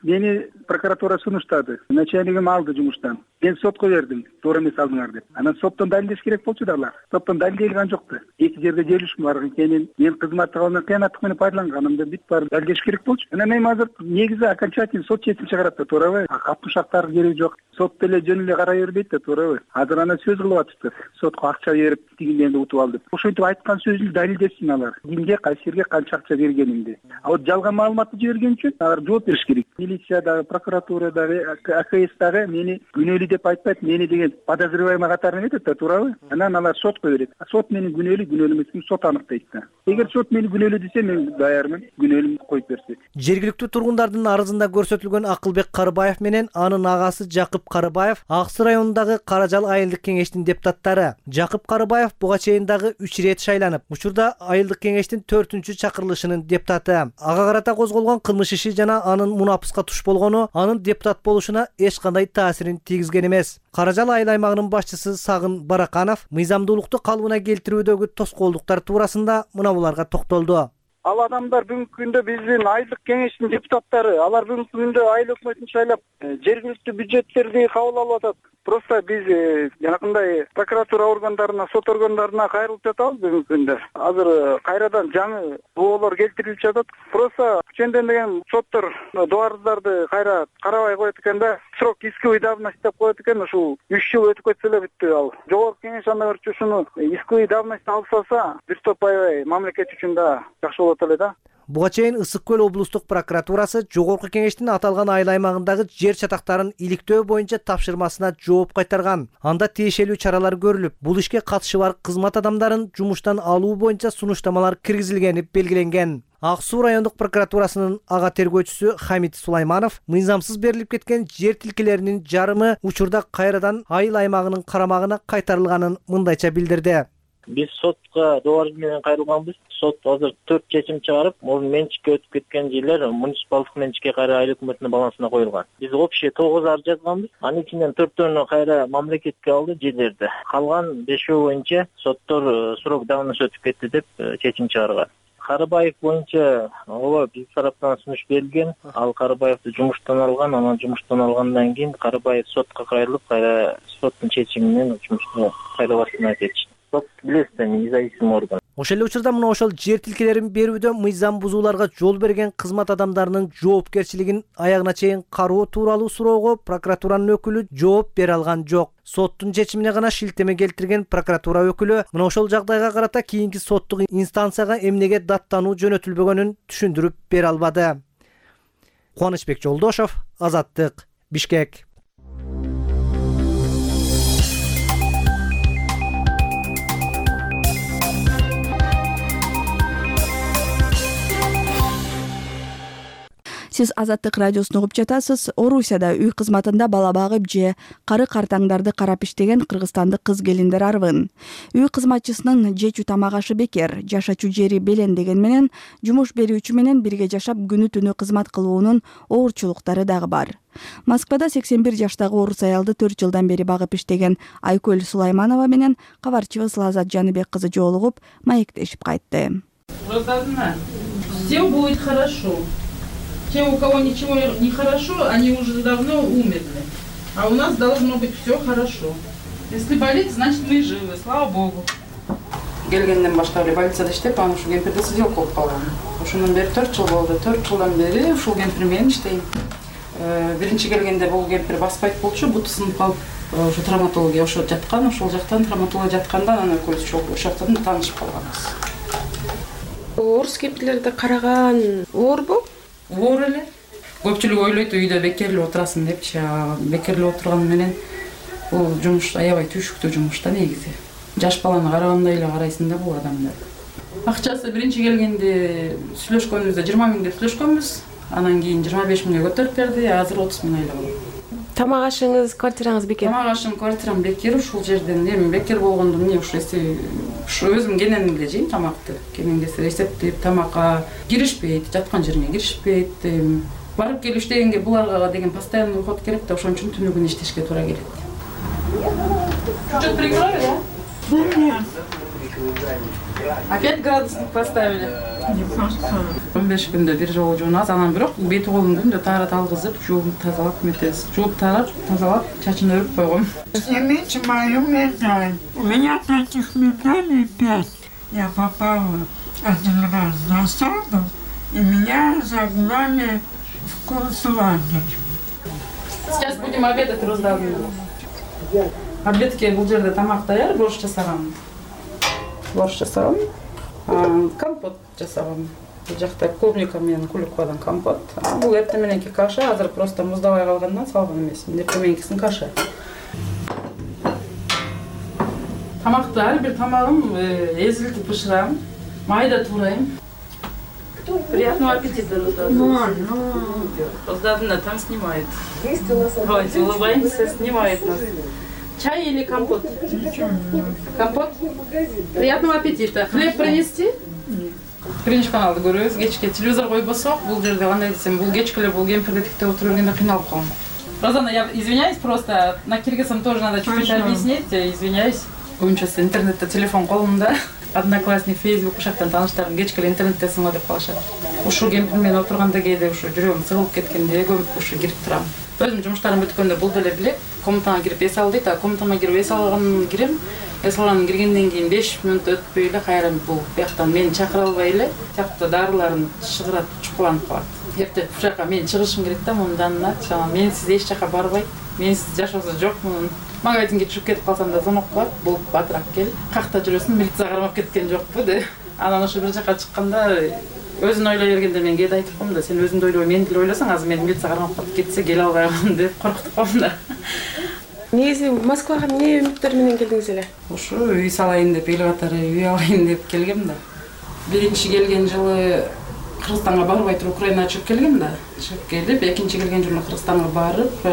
Мени прокуратура сунуштады. Начальнигим алды жумуштан. Мен сотко бердим, туура эмес алдыңар деп. Анан соттон далилдеш керек болчу да алар. Соттон далилделген жокты. Эки жерде жер үлүшүм бар экенин, мен кызматты алган кыянаттык менен пайдаланганымды бүт бар далилдеш керек болчу. Анан эми азыр негизи окончательный сот чечим чыгарат да, туурабы? Капушактар кереги жок. Сот деле жөн эле карай бербейт да, туурабы? Азыр ана сөз кылып атышты. Сотко акча берип, тигинден утуп ал деп. Ошентип айткан сөзүн далилдесин алар. Кимге, кайсы жерге канча акча бергенимди. А вот жалган маалыматты жиберген үчүн алар жооп бериш керек. Милиция прокуратура дагы, АКС дагы мени күнөөлүү деп айтпайт, мени деген подозреваемый катарына кетет да, туурабы? Анан алар сотко берет. А сот мени күнөөлүү, күнөөлүү эмесин сот аныктайт да. Эгер сот мени күнөөлүү десе, мен даярмын, күнөөлүүмдү коюп берсе. Жергиликтүү тургундардын арызында көрсөтүлгөн Акылбек Карыбаев менен анын агасы Жакып Карыбаев Ак суу районундагы Каражал айылдык кеңештин депутаттары. Жакып Карыбаев буга чейин дагы үч ирет шайланып, учурда айылдык кеңештин төртүнчү чакырылышынын депутаты. Ага карата козголгон кылмыш иши жана анын мунапыска башка туш болгону анын депутат болушуна эч кандай таасирин тийгизген эмес. Каражал айыл аймагынын башчысы Сагын Бараканов мыйзамдуулукту калыбына келтирүүдөгү тоскоолдуктар туурасында мына буларга токтолду. Ал адамдар бүгүнкү күндө биздин айылдык кеңештин депутаттары, алар бүгүнкү күндө айыл өкмөтүн шайлап, жергиликтүү бюджеттерди кабыл алып атат. Просто биз жанакындай прокуратура органдарына, сот органдарына кайрылып жатабыз бүгүнкү күндө. Азыр кайрадан жаңы боолор келтирилип жатат. Просто ченден соттор дуарыздарды кайра карабай коет экен да. Срок исковой давности деп коет экен. Ушул үч жыл өтүп кетсе эле бүттү ал. Жогорку кеңеш анда көрчү ушуну исковой давность алсаса, бир топ аябай мамлекет үчүн да жакшы болот эле да. Буга чейин Ысык көл облустук прокуратурасы Жогорку кеңештин аталган айыл аймагындагы жер чатактарын иликтөө боюнча тапшырмасына жооп кайтарган. Анда тиешелүү чаралар көрүлүп, бул ишке катышы бар кызмат адамдарын жумуштан алуу боюнча сунуштамалар киргизилгени белгиленген. Ак Суу райондук прокуратурасынын ага тергөөчүсү Хамит Сулайманов мыйзамсыз берилип кеткен жер тилкелеринин жарымы учурда кайрадан айыл аймагынын карамагына кайтарылганын мындайча билдирди. Биз сотко доорубуз менен кайрылганбыз. Сот азыр төрт чечим чыгарып, муну менчикке өтүп кеткен жерлер муниципалдык менчикке кайра айыл өкмөтүнүн балансына коюлган. Биз общий тогуз арыз жазганбыз. Анын ичинен төртөөнү кайра мамлекетке алды жерлерди. Калган бешөө боюнча соттор срок давности өтүп кетти деп чечим чыгарган. Карыбаев боюнча ооба биз тараптан сунуш берилген. Ал Карыбаевди жумуштан алган, анан жумуштан алгандан кийин Карыбаев сотко кайрылып, кайра соттун чечими менен жумушту кайра баштана кетти. Сот билесиз, независимый орган. Ошол эле учурда мына ошол жер тилкелерин берүүдө мыйзам бузууларга жол берген кызмат адамдарынын жоопкерчилигин аягына чейин кароо тууралуу суроого прокуратуранын өкүлү жооп бере алган жок. Соттун чечимине гана шилтеме келтирген прокуратура өкүлү мына ошол жагдайга карата кийинки соттук инстанцияга эмнеге даттануу жөнөтүлбөгөнүн түшүндүрүп бере албады. Кубанычбек Жолдошов, Азаттык, Бишкек. Сиз Азаттык радиосун угуп жатасыз. Орусияда үй кызматында бала багып же кары картаңдарды карап иштеген кыргызстандык кыз келиндер арбын. Үй кызматчысынын жечү тамак ашы бекер, жашачу жери белендеген менен жумуш берүүчү менен бирге жашап күнү түнү кызмат кылуунун оорчулуктары дагы бар. Москвада сексен бир жаштагы орус аялды төрт жылдан бери багып иштеген Айкөл Сулайманова менен кабарчыбыз Лазат Жаныбек кызы жолугуп, маектешип кайтты. Все будет хорошо. Те, у кого ничего не хорошо, они уже давно умерли. А у нас должно быть все хорошо. Если болит, значит мы живы, слава богу. Келгенден баштап эле больницада иштеп, анан ушул кемпирде сиделка болуп калган. Ошондон бери төрт жыл болду. төрт жылдан бери ушул кемпир менен иштейм. Биринчи келгенде бул кемпир баспайт болчу, буту сынып калып, ошо травматология ошо жаткан, ошол жактан травматология жатканда анан экөөбүз ошол жактан таанышып калганбыз. Орус кемпирлерди караган оорбу? Оор эле. Көпчүлүк ойлойт үйдө бекерлеп отурасың депчи. Бекерлеп отурган менен бул жумуш аябай түйшүктүү жумуш да негизи. Жаш баланы карагандай эле карайсың да бул адамдар. Акчасы биринчи келгенде сүйлөшкөнүбүздө жыйырма миң деп сүйлөшкөнбүз. Анан кийин жыйырма беш миңге көтөрүп берди. Азыр отуз миң айлык. Тамак ашыңыз, квартираңыз бекер? Тамак ашым, квартирам бекер ушул жерден. Эми бекер болгондо эмне ушул ушу өзүм кенен эле жейм тамакты. Кенен келсе эсептеп тамакка киришпейт, жаткан жериме киришпейт. Барып келип иштегенге буларга деген постоянный уход керек да, ошон үчүн түнү күнү иштешке туура келет. Что-то приготовили, да? Опять градусник поставили. он беш күндө бир жолу жуунабыз, анан бирок бети колун күндө таарат алгызып, жууп тазалап метебиз. Жууп тарап, тазалап, чачын өрүп койгом. Я меньше мою медаль. У меня таких медалей пять. Я попала один раз в засаду, и меня загнали в концлагерь. Сейчас будем обедать, Роздавлю. Обедке бул жерде тамак даяр, борщ жасагам. Борщ жасагам. Компот жасагам. Бул жакта клубника менен клюквадан компот. Бул эртең мененки каша, азыр просто муздабай калгандан салган эмес. Эртең мененкисин каша. Тамакты ар бир тамагым эзилтип бышырам, майда туурайм. Приятного аппетита, Роздавлю. Роздавлю там снимает. Давайте улыбаемся, снимает нас. Чай или компот? Компот? Приятного аппетита. Хлеб принести? биринчи каналды көрөбүз. Кечке телевизор койбосок, бул жерде кандай десем, бул кечке эле бул кемпирди тиктеп отура бергенде кыйналып калам. Розана, я извиняюсь, просто на киргизском тоже надо чуть-чуть объяснить. Я извиняюсь. Көбүнчө интернетте телефон колумда. Одноклассник, Facebook ушактан тааныштарым кечке эле интернеттесиң го деп калышат. Ушул кемпир менен отурганда кээде ушу жүрөгүм сыгылып кеткенде көп ушу кирип турам. Өзүм жумуштарым бүткөндө бул деле билет. Комнатага кирип эс ал дейт, а комнатама кирип эс алгандан кирем. Эс алгандан киргенден кийин беш мүнөт өтпөй эле кайра бул бияктан мени чакыра албай эле тиякта дарыларын чыгырат, чукуланып калат. Эртең бул жака мен чыгышым керек да, мындан чана менсиз эч жака барбайт. Менсиз жашоосу жок мунун. Магазинге чыгып кетип калсам да звонок кылат, болуп батыраак кел. Какта жүрөсүң, милиция кармап кеткен жокпу деп. Анан ошо бир жака чыкканда өзүн ойлой бергенде мен кээде айтып коем да, сен өзүңдү ойлобой мени деле ойлосоң, азыр мени милиция кармап калып кетсе келе албайм деп коркутуп коем да. Негизи Москвага эмне үмүттөр менен келдиңиз эле? Ушу үй салайын деп, эл катары үй алайын деп келгем да. Биринчи келген жылы Кыргызстанга барбай туруп Украинага чыгып келгем да. Чыгып келип, экинчи келген жылы Кыргызстанга барып,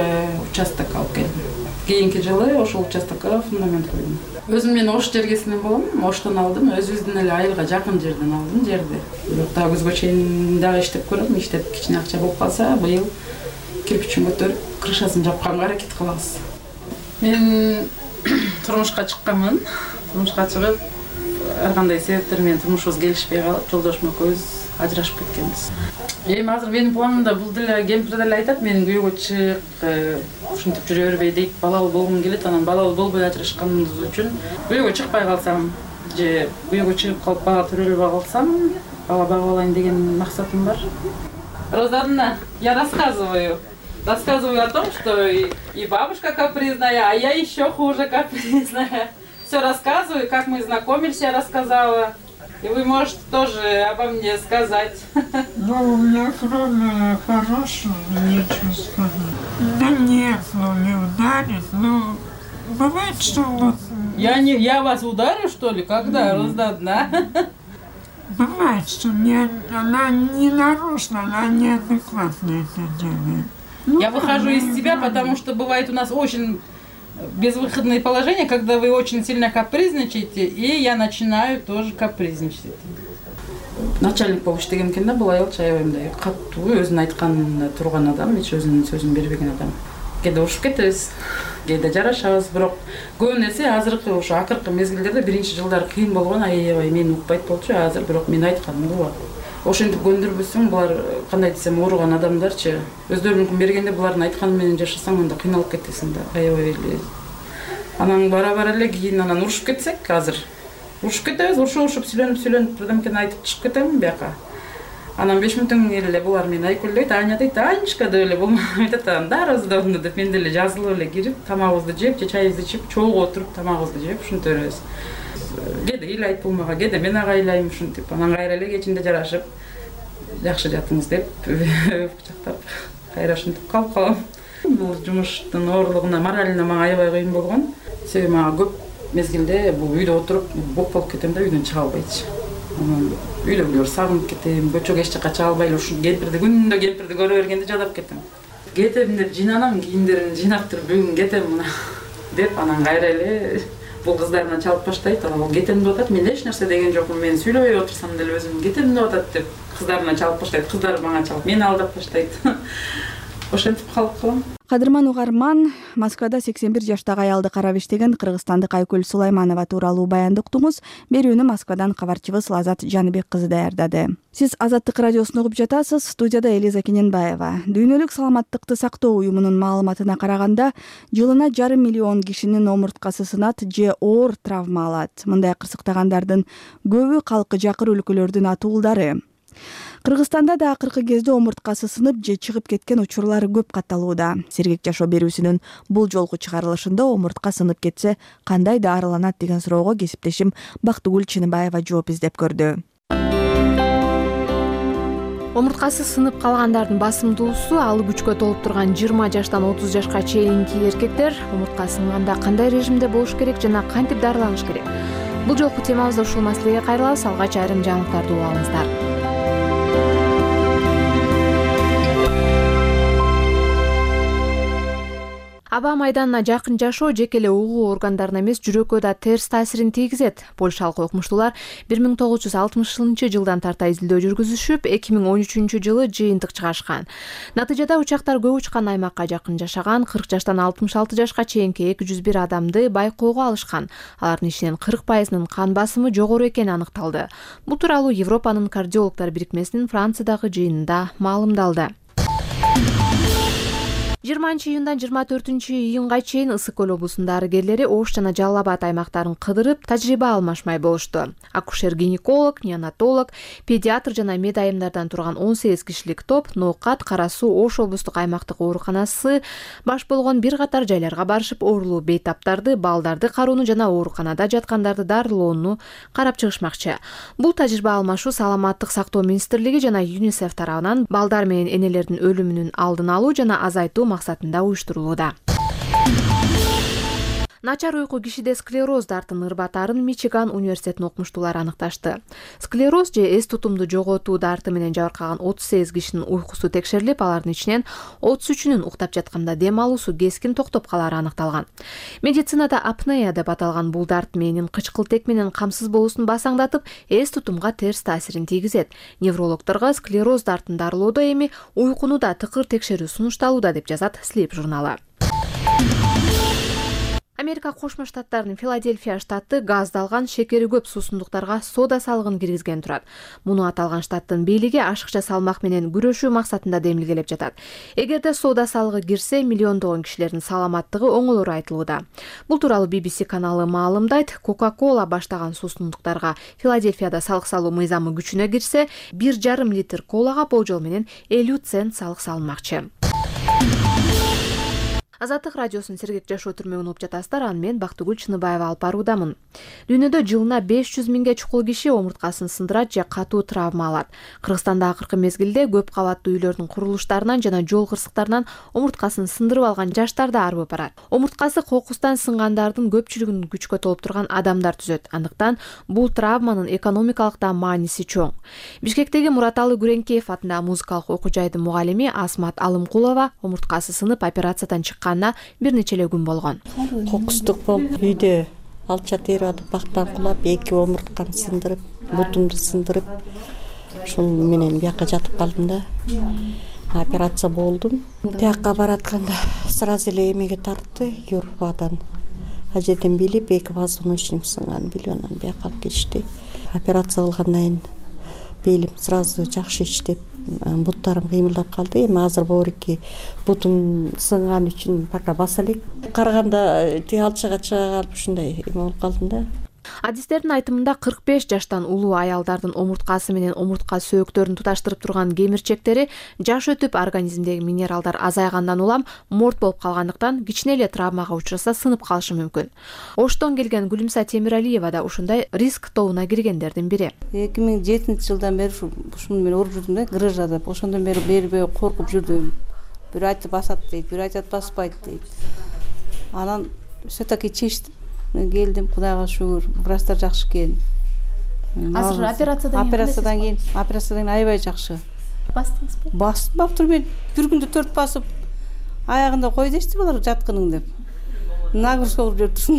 участок алып келдим. Кийинки жылы ошол участокко фундамент койдум. Өзүм мен Ош жергесинен болом, Оштон алдым, өзүбүздүн эле айылга жакын жерден алдым жерди. Бирок дагы күзгө чейин дагы иштеп көрөм, иштеп кичине акча болуп калса, быйыл кирпичин көтөрүп, крышасын жапканга аракет кылабыз. Мен турмушка чыкканмын. Турмушка чыгып, ар кандай себептер менен турмушубуз келишпей калып, жолдошум экөөбүз ажырашып кеткенбиз. Эми азыр менин планымда бул деле кемпир деле айтат, менин күйөөгө чык, ушинтип жүрө бербей дейт, балалуу болгум келет, анан балалуу болбой ажырашканыбыз үчүн күйөөгө чыкпай калсам же күйөөгө чыгып калып бала төрөлбөй калсам, бала багып алайын деген максатым бар. Розанна, я рассказываю. Рассказываю о том, что и, и бабушка капризная, а я еще хуже капризная. Все рассказываю, как мы знакомились, я рассказала. И вы можете тоже обо мне сказать. Ну, у меня кроме хорошего нечего сказать. Да нет, ну не ударит, ну бывает, что вот... Я, не, я вас ударю, что ли? Когда? Mm. Розанна? Бывает, что не, она не нарочно, она неадекватно это делает. Ну, я выхожу из себя, потому что бывает у нас очень безвыходные положения, когда вы очень сильно капризничаете, и я начинаю тоже капризничать. Начальник болуп иштеген экен да, бул айыл чаябайымдай каттуу өзүнүн айтканына турган адам, эч өзүнүн сөзүн бербеген адам. Кээде урушуп кетебиз, кээде жарашабыз, бирок көп нерсе азыркы ошо акыркы мезгилдерде биринчи жылдары кыйын болгон, аябай мени укпайт болчу, азыр бирок мен айтканым угат. Ошентип көндүрбөсөң, булар кандай десем ооруган адамдарчы, өздөрүнүн бергенде булардын айтканы менен жашасаң, анда кыйналып кетесиң да, аябай эле. Анан бара-бара эле кийин анан урушуп кетсек, азыр урушуп кетебиз, урушуп-урушуп сүйлөнүп-сүйлөнүп бирдемкени айтып чыгып кетем бияка. Анан беш мүнөттөн кийин эле булар мени айкөлдөйт, Аня дейт, Анечка деп эле болмок айтат, анда раздану деп мен деле жазылып эле кирип, тамагыбызды жеп, же чайыбызды ичип, чогуу отуруп тамагыбызды жеп, ушинтип беребиз. Кээде ыйлайт булмага, кээде мен ага ыйлайм ушинтип. Анан кайра эле кечинде жарашып, жакшы жатыңыз деп кучактап, кайра ушинтип калып калам. Бул жумуштун оорлугуна, моралине мага аябай кыйын болгон. Себеби мага көп мезгилде бул үйдө отуруп боп болуп кетем да, үйдөн чыга албайчы. Анан үйлөгүлөр сагынып кетем, көчөгө эч жака чыга албай эле ушул кемпирди күндө кемпирди көрө бергенде жадап кетем. Кетем деп жыйнанам, кийимдеримди жыйнап туруп бүгүн кетем мына деп, анан кайра эле бул кыздарына чалып баштайт. Анан кетем деп атат, мен эч нерсе деген жокмун, мен сүйлөбөй отурсам деле өзүм кетем деп атат деп кыздарына чалып баштайт. Кыздар мага чалып, мени алдап баштайт. Ошентип калып калам. Кадырман угарман, Москвада сексен бир жаштагы аялды карап иштеген кыргызстандык Айкүл Сулайманова тууралуу баянды уктуңуз. Берүүнү Москвадан кабарчыбыз Лазат Жаныбек кызы даярдады. Сиз Азаттык радиосун угуп жатасыз. Студияда Элиза Кененбаева. Дүйнөлүк саламаттыкты сактоо уюмунун маалыматына караганда, жылына жарым миллион кишинин омурткасы сынат же оор травма алат. Мындай кырсыктагандардын көбү калкы жакыр өлкөлөрдүн атуулдары. Кыргызстанда да акыркы кезде омурткасы сынып же чыгып кеткен учурлар көп катталууда. Сергек жашоо берүүсүнүн бул жолку чыгарылышында омуртка сынып кетсе кандай дарыланат деген суроого кесиптешим Бактыгүл Чыныбаева жооп издеп көрдү. Омурткасы сынып калгандардын басымдуусу алы күчкө толуп турган жыйырма жаштан отуз жашка чейинки эркектер. Омуртка сынганда кандай режимде болуш керек жана кантип дарыланыш керек? Бул жолку темабызда ушул маселеге кайрылабыз. Алгач айрым жаңылыктарды угуп алыңыздар. Аба майданына жакын жашоо жеке эле угуу органдарына эмес, жүрөккө да терс таасирин тийгизет. Польшалык окумуштуулар бир миң тогуз жүз алтымышынчы жылдан тарта изилдөө жүргүзүшүп, эки миң он үчүнчү жылы жыйынтык чыгарышкан. Натыйжада учактар көп учкан аймакка жакын жашаган кырк жаштан алтымыш алты жашка чейинки эки жүз бир адамды байкоого алышкан. Алардын ичинен кырк пайызынын кан басымы жогору экени аныкталды. Бул тууралуу Европанын кардиологдор бирикмесинин Франциядагы жыйынында маалымдалды. жыйырманчы июндан жыйырма төртүнчү июнга чейин Ысык көл облусунун дарыгерлери Ош жана Жалал Абад аймактарын кыдырып, тажрыйба алмашмай болушту. Акушер-гинеколог, неонатолог, педиатр жана мед айымдардан турган он сегиз кишилик топ Ноокат, Кара Суу, Ош облустук аймактык ооруканасы баш болгон бир катар жайларга барышып, оорулуу бейтаптарды, балдарды кароону жана ооруканада жаткандарды дарылоону карап чыгышмакчы. Бул тажрыйба алмашуу Саламаттык сактоо министрлиги жана ЮНИСЕФ тарабынан балдар менен энелердин өлүмүнүн алдын алуу жана азайтуу максатында уюштурулууда. Начар уйку кишиде склероз дартын ырбатарын Мичиган университетинин окумуштуулары аныкташты. Склероз же эс тутумду жоготуу дарты менен жабыркаган отуз сегиз кишинин уйкусу текшерилип, алардын ичинен отуз үчүнүн уктап жатканда дем алуусу кескин токтоп калары аныкталган. Медицинада апнея деп аталган бул дарт мээнин кычкылтек менен камсыз болуусун басаңдатып, эс тутумга терс таасирин тийгизет. Неврологдорго склероз дартын дарылоодо эми уйкуну да тыкыр текшерүү сунушталууда деп жазат Sleep журналы. Америка Кошмо Штаттарынын Филадельфия штаты газдалган шекери көп суусундуктарга сода салыгын киргизген турат. Муну аталган штаттын бийлиги ашыкча салмак менен күрөшүү максатында демилгелеп жатат. Эгерде сода салыгы кирсе, миллиондогон кишилердин саламаттыгы оңолору айтылууда. Бул тууралуу би би си каналы маалымдайт. Coca-Cola баштаган суусундуктарга Филадельфияда салык салуу мыйзамы күчүнө кирсе, бир жарым литр колага болжол менен элүү цент салык салынмакчы. Азаттык радиосунун Сергек жашоо түрмөгүн угуп жатасыздар. Аны мен Бактыгүл Чыныбаева алып баруудамын. Дүйнөдө жылына беш жүз миңге чукул киши омурткасын сындырат же катуу травма алат. Кыргызстанда акыркы мезгилде көп кабаттуу үйлөрдүн курулуштарынан жана жол кырсыктарынан омурткасын сындырып алган жаштар да арбып барат. Омурткасы кокустан сынгандардын көпчүлүгүн күчкө толуптурган адамдар түзөт. Андыктан бул травманын экономикалык да мааниси чоң. Бишкектеги Мураталы Күреңкеев атындагы музыкалык окуу жайдын мугалими Асмат Алымкулова омурткасы сынып операциядан чыккан бир нече эле күн болгон. Кокустук болуп, үйдө алча терип атып, бактан кулап, эки омуртканы сындырып, бутумду сындырып, ушул менен бияка жатып калдым да. Операция болдум. Тияка баратканда сразу эле эмеге тартты, юрбадан. Ажеден билип, эки позвоночник сынган билип, анан бияка алып кетишти. Операция кылгандан кийин белим сразу жакшы иштеп, буттарым кыймылдап калды. Эми азыр боорики бутум сынган үчүн пока баса элек. Караганда тиги алчага чыга калып ушундай эме болуп калдым да. Адистердин айтымында кырк беш жаштан улуу аялдардын омурткасы менен омуртка сөөктөрүн туташтырып турган кемирчектери жаш өтүп организмдеги минералдар азайгандан улам морт болуп калгандыктан кичине эле травмага учураса сынып калышы мүмкүн. Оштон келген Гүлүмса Темиралиева да ушундай риск тобуна киргендердин бири. эки миң жетинчи жылдан бери ушуну мен уруп жүрдүм да, грыжада. Ошондон бери бербей коркуп жүрдүм. Бир айтып басат дейт, бир айтат баспайт дейт. Анан все-таки чечтим. Келдим, Кудайга шүгүр, врачтар жакшы экен. Азыр операциядан кийин операциядан кийин, операциядан аябай жакшы. Бастыңызбы? Басып мен бир күндө төрт басып, аягында кой дешти булар жаткының деп. Нагрузка кылып жүрдүм.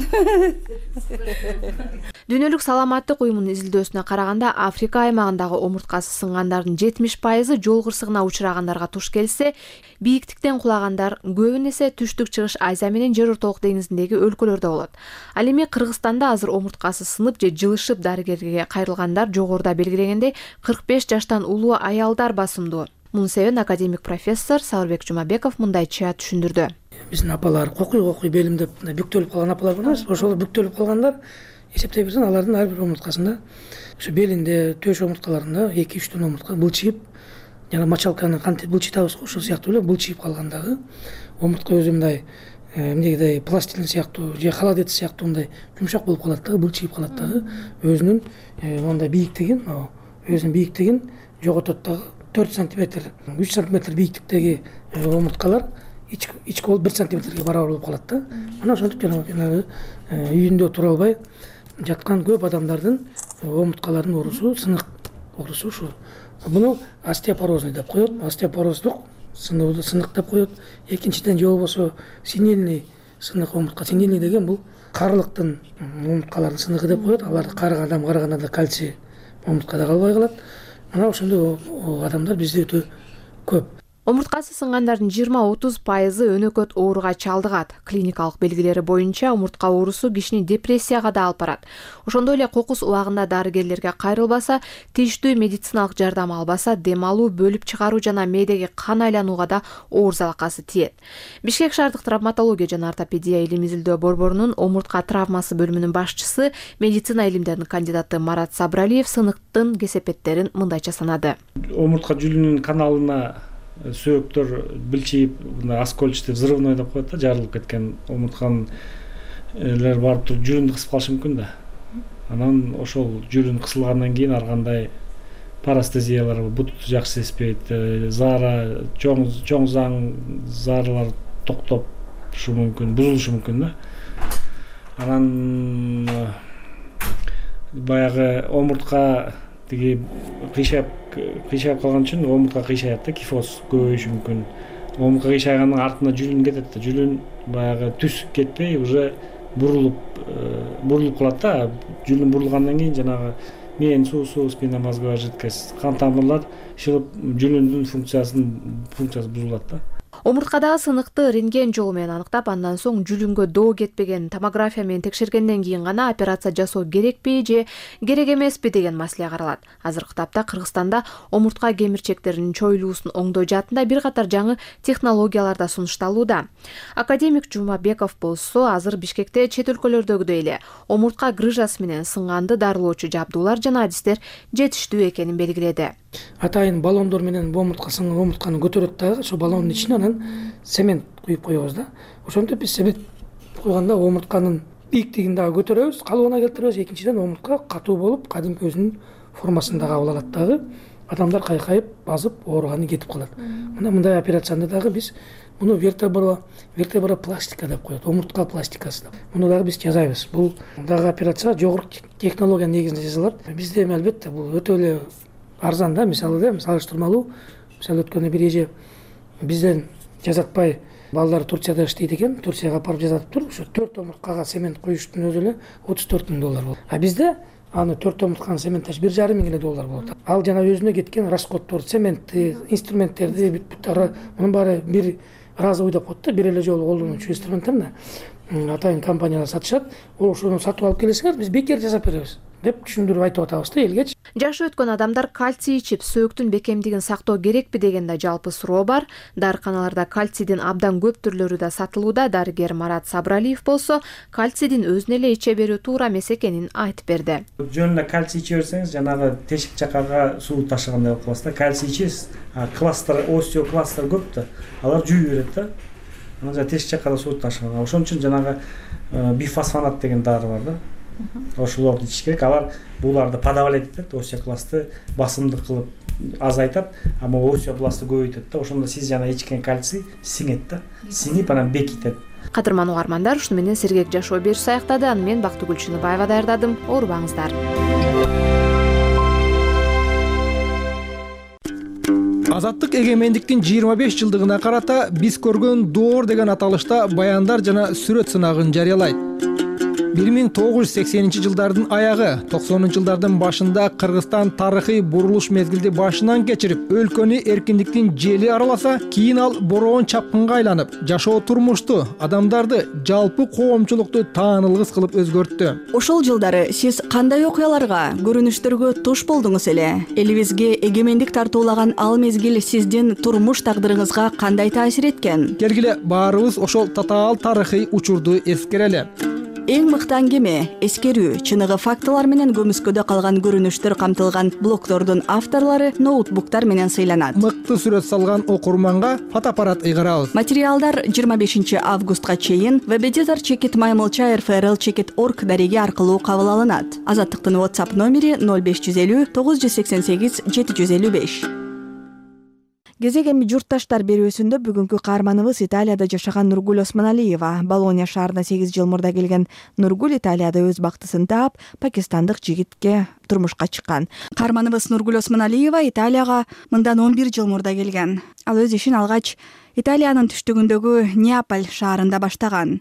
Дүйнөлүк саламаттык уюмунун изилдөөсүнө караганда, Африка аймагындагы омурткасы сынгандардын жетимиш пайызы жол кырсыгына учурагандарга туш келсе, бийиктиктен кулагандар көбүн эсе Түштүк Чыгыш Азия менен Жер ортолук деңизиндеги өлкөлөрдө болот. Ал эми Кыргызстанда азыр омурткасы сынып же жылышып дарыгерге кайрылгандар жогоруда белгилегендей кырк беш жаштан улуу аялдар басымдуу. Мунун себебин академик профессор Сауырбек Жумабеков мындайча түшүндүрдү. Биздин апалар кокуй кокуй белим деп бүктөлүп калган апалар бар эмес. Ошол бүктөлүп калгандар эсептей берсең, алардын ар бир омурткасында, ошо белинде, төш омурткаларында эки үч дон омуртка былчыйып, жана мочалканы кантип былчыйтабыз го, ошол сыяктуу эле былчыйып калгандагы омуртка өзү мындай эмнегидей пластилин сыяктуу же холодец сыяктуу мындай жумшак болуп калат дагы, былчыйып калат дагы, өзүнүн мондай бийиктигин, өзүнүн бийиктигин жоготот дагы. төрт сантиметр, үч сантиметр бийиктиктеги омурткалар ички болуп бир сантиметрге барабар болуп калат да. Анан ошентип жанагы үйүндө тура албай жаткан көп адамдардын омурткаларынын оорусу, сынык оорусу ушул. Буну остеопорозный деп коет, остеопороздук сынык деп коет. Экинчиден же болбосо синильный сынык омуртка синильный деген бул карылыктын омурткалардын сыныгы деп коет. Аларды карыган адам карыганда кальций омурткада калбай калат. Мына ошондой адамдар бизде өтө көп. Омурткасы сынгандардын жыйырма отуз пайызы өнөкөт ооруга чалдыгат. Клиникалык белгилери боюнча омуртка оорусу кишини депрессияга да алып барат. Ошондой эле кокус убагында дарыгерлерге кайрылбаса, тийиштүү медициналык жардам албаса, дем алуу, бөлүп чыгаруу жана мээдеги кан айланууга да оор залакасы тиет. Бишкек шаардык травматология жана ортопедия илим изилдөө борборунун омуртка травмасы бөлүмүнүн башчысы, медицина илимдеринин кандидаты Марат Сабыралиев сыныктын кесепеттерин мындайча санады. Омуртка жүлүнүн каналына сөөктөр билчип, оскольчатый взрывной деп коет да, жарылып кеткен омуртканлер барып туруп жүрүндү кысып калышы мүмкүн да. Анан ошол жүрүн кысылгандан кийин ар кандай парастезиялар, бут жакшы сезбейт, заара, чоң чоң заң зааралар токтошу мүмкүн, бузулушу мүмкүн да. Анан баягы омуртка тиги кыйшап кыйшап калган үчүн омуртка кыйшаят да, кифоз көбөйүшү мүмкүн. Омуртка кыйшайганын артында жүлүн кетет да, жүлүн баягы түз кетпей уже бурулуп бурулуп калат да. Жүлүн бурулгандан кийин жанагы мээни суусу, спина мозговая жидкость, кан тамырлар шылып жүлүндүн функциясын функциясы бузулат да. Омурткадагы сыныкты рентген жолу менен аныктап, андан соң жүлүнгө доо кетпеген томография менен текшергенден кийин гана операция жасоо керекпи же керек эмеспи деген маселе каралат. Азыркы тапта Кыргызстанда омуртка кемирчектеринин чоюлуусун оңдоо жаатында бир катар жаңы технологиялар да сунушталууда. Академик Жумабеков болсо азыр Бишкекте чет өлкөлөрдөгүдөй эле омуртка грыжасы менен сынганды дарылоочу жабдуулар жана адистер жетиштүү экенин белгиледи. Атайын баллондор менен омуртка сынган омуртканы көтөрөт дагы, ошо баллондун ичине анан цемент куюп коебуз да. Ошентип биз цемент куйганда омуртканын бийиктигин дагы көтөрөбүз, калыбына келтиребиз. Экинчиден омуртка катуу болуп, кадимки өзүнүн формасын дагы кабыл алат дагы. Адамдар кайкайып, базып, ооруганы кетип калат. Мына мындай операцияны дагы биз муну вертебра вертебропластика деп коет, омуртка пластикасы деп. Муну дагы биз жасайбыз. Бул дагы операция жогорку технология негизинде жасалат. Бизде эми албетте бул өтө эле арзан да, мисалы да, салыштырмалуу. Мисалы өткөндө бир эже бизден жасатпай балдар Турцияда иштейт экен, Турцияга апарып жасатыптыр. Ошо төрт омурткага цемент коюштун өзү эле отуз төрт миң доллар болот. А бизде аны төрт омуртканы цементтеш бир жарым миң эле доллар болот. Ал жана өзүнө кеткен расходдор, цементти, инструменттерди, бүт-бүт мунун баары бир разы ойдоп коет да, бир эле жолу колдонуучу инструменттерди атайын компаниялар сатышат. Ошону сатып алып келесиңер, биз бекер жасап беребиз деп түшүндүрүп айтып атабыз да элге. Жашы өткөн адамдар кальций ичип сөөктүн бекемдигин сактоо керекпи деген да жалпы суроо бар. Дарыканаларда кальцийдин абдан көп түрлөрү да сатылууда. Дарыгер Марат Сабыралиев болсо кальцийдин өзүнө эле иче берүү туура эмес экенин айтып берди. Жөн эле кальций иче берсеңиз, жанагы тешик жакага суу ташыгандай болуп каласыз да. Кальций ичесиз, а кластер, остеокластер көп да. Алар жүйүп берет да. Анан жана тешик жакка суу ташыган. Ошон үчүн жанагы бифосфонат деген дары бар да. Ошолорду ичиш керек. Алар буларды подавлять этет, остеокластты басымдык кылып азайтат, ама остеокластты көбөйтөт да. Ошондо сиз жана ичкен кальций сиңет да. Сиңип анан бекитет. Кадырман угармандар, ушуну менен сергек жашоо берүүсү аяктады. Аны мен Бактыгүл Чыныбаева даярдадым. Оорубаңыздар. Азаттык эгемендиктин жыйырма беш жылдыгына карата биз көргөн доор деген аталышта баяндар жана сүрөт сынагын жарыялайт. бир миң тогуз жүз сексенинчи жылдардын аягы, токсонунчу жылдардын башында Кыргызстан тарыхый бурулуш мезгилди башынан кечирип, өлкөнү эркиндиктин жели араласа, кийин ал бороон чапкынга айланып, жашоо турмушту, адамдарды, жалпы коомчулукту таанылгыс кылып өзгөрттү. Ошол жылдары сиз кандай окуяларга, көрүнүштөргө туш болдуңуз эле? Элибизге эгемендик тартуулаган ал мезгил сиздин турмуш тагдырыңызга кандай таасир эткен? Келгиле баарыбыз ошол татаал тарыхый учурду эскерели. Эң мыкты аңгеме, эскерүү, чыныгы фактылар менен көмүскөдө калган көрүнүштөр камтылган блогдордун авторлору ноутбуктар менен сыйланат. Мыкты сүрөт салган окурманга фотоаппарат ыйгарабыз. Материалдар жыйырма бешинчи августка чейин веб-эдитор чекит маймылча эр эф эр эл чекит точка орг дареги аркылуу кабыл алынат. Азаттыктын WhatsApp номери ноль беш жүз элүү тогуз жүз сексен сегиз жети жүз элүү беш. Кезек эми журтташтар берүүсүндө бүгүнкү каарманыбыз Италияда жашаган Нургуль Осмоналиева. Болония шаарына сегиз жыл мурда келген Нургуль Италияда өз бактысын таап, пакистандык жигитке турмушка чыккан. Каарманыбыз Нургуль Осмоналиева Италияга мындан он бир жыл мурда келген. Ал өз ишин алгач Италиянын түштүгүндөгү Неаполь шаарында баштаган.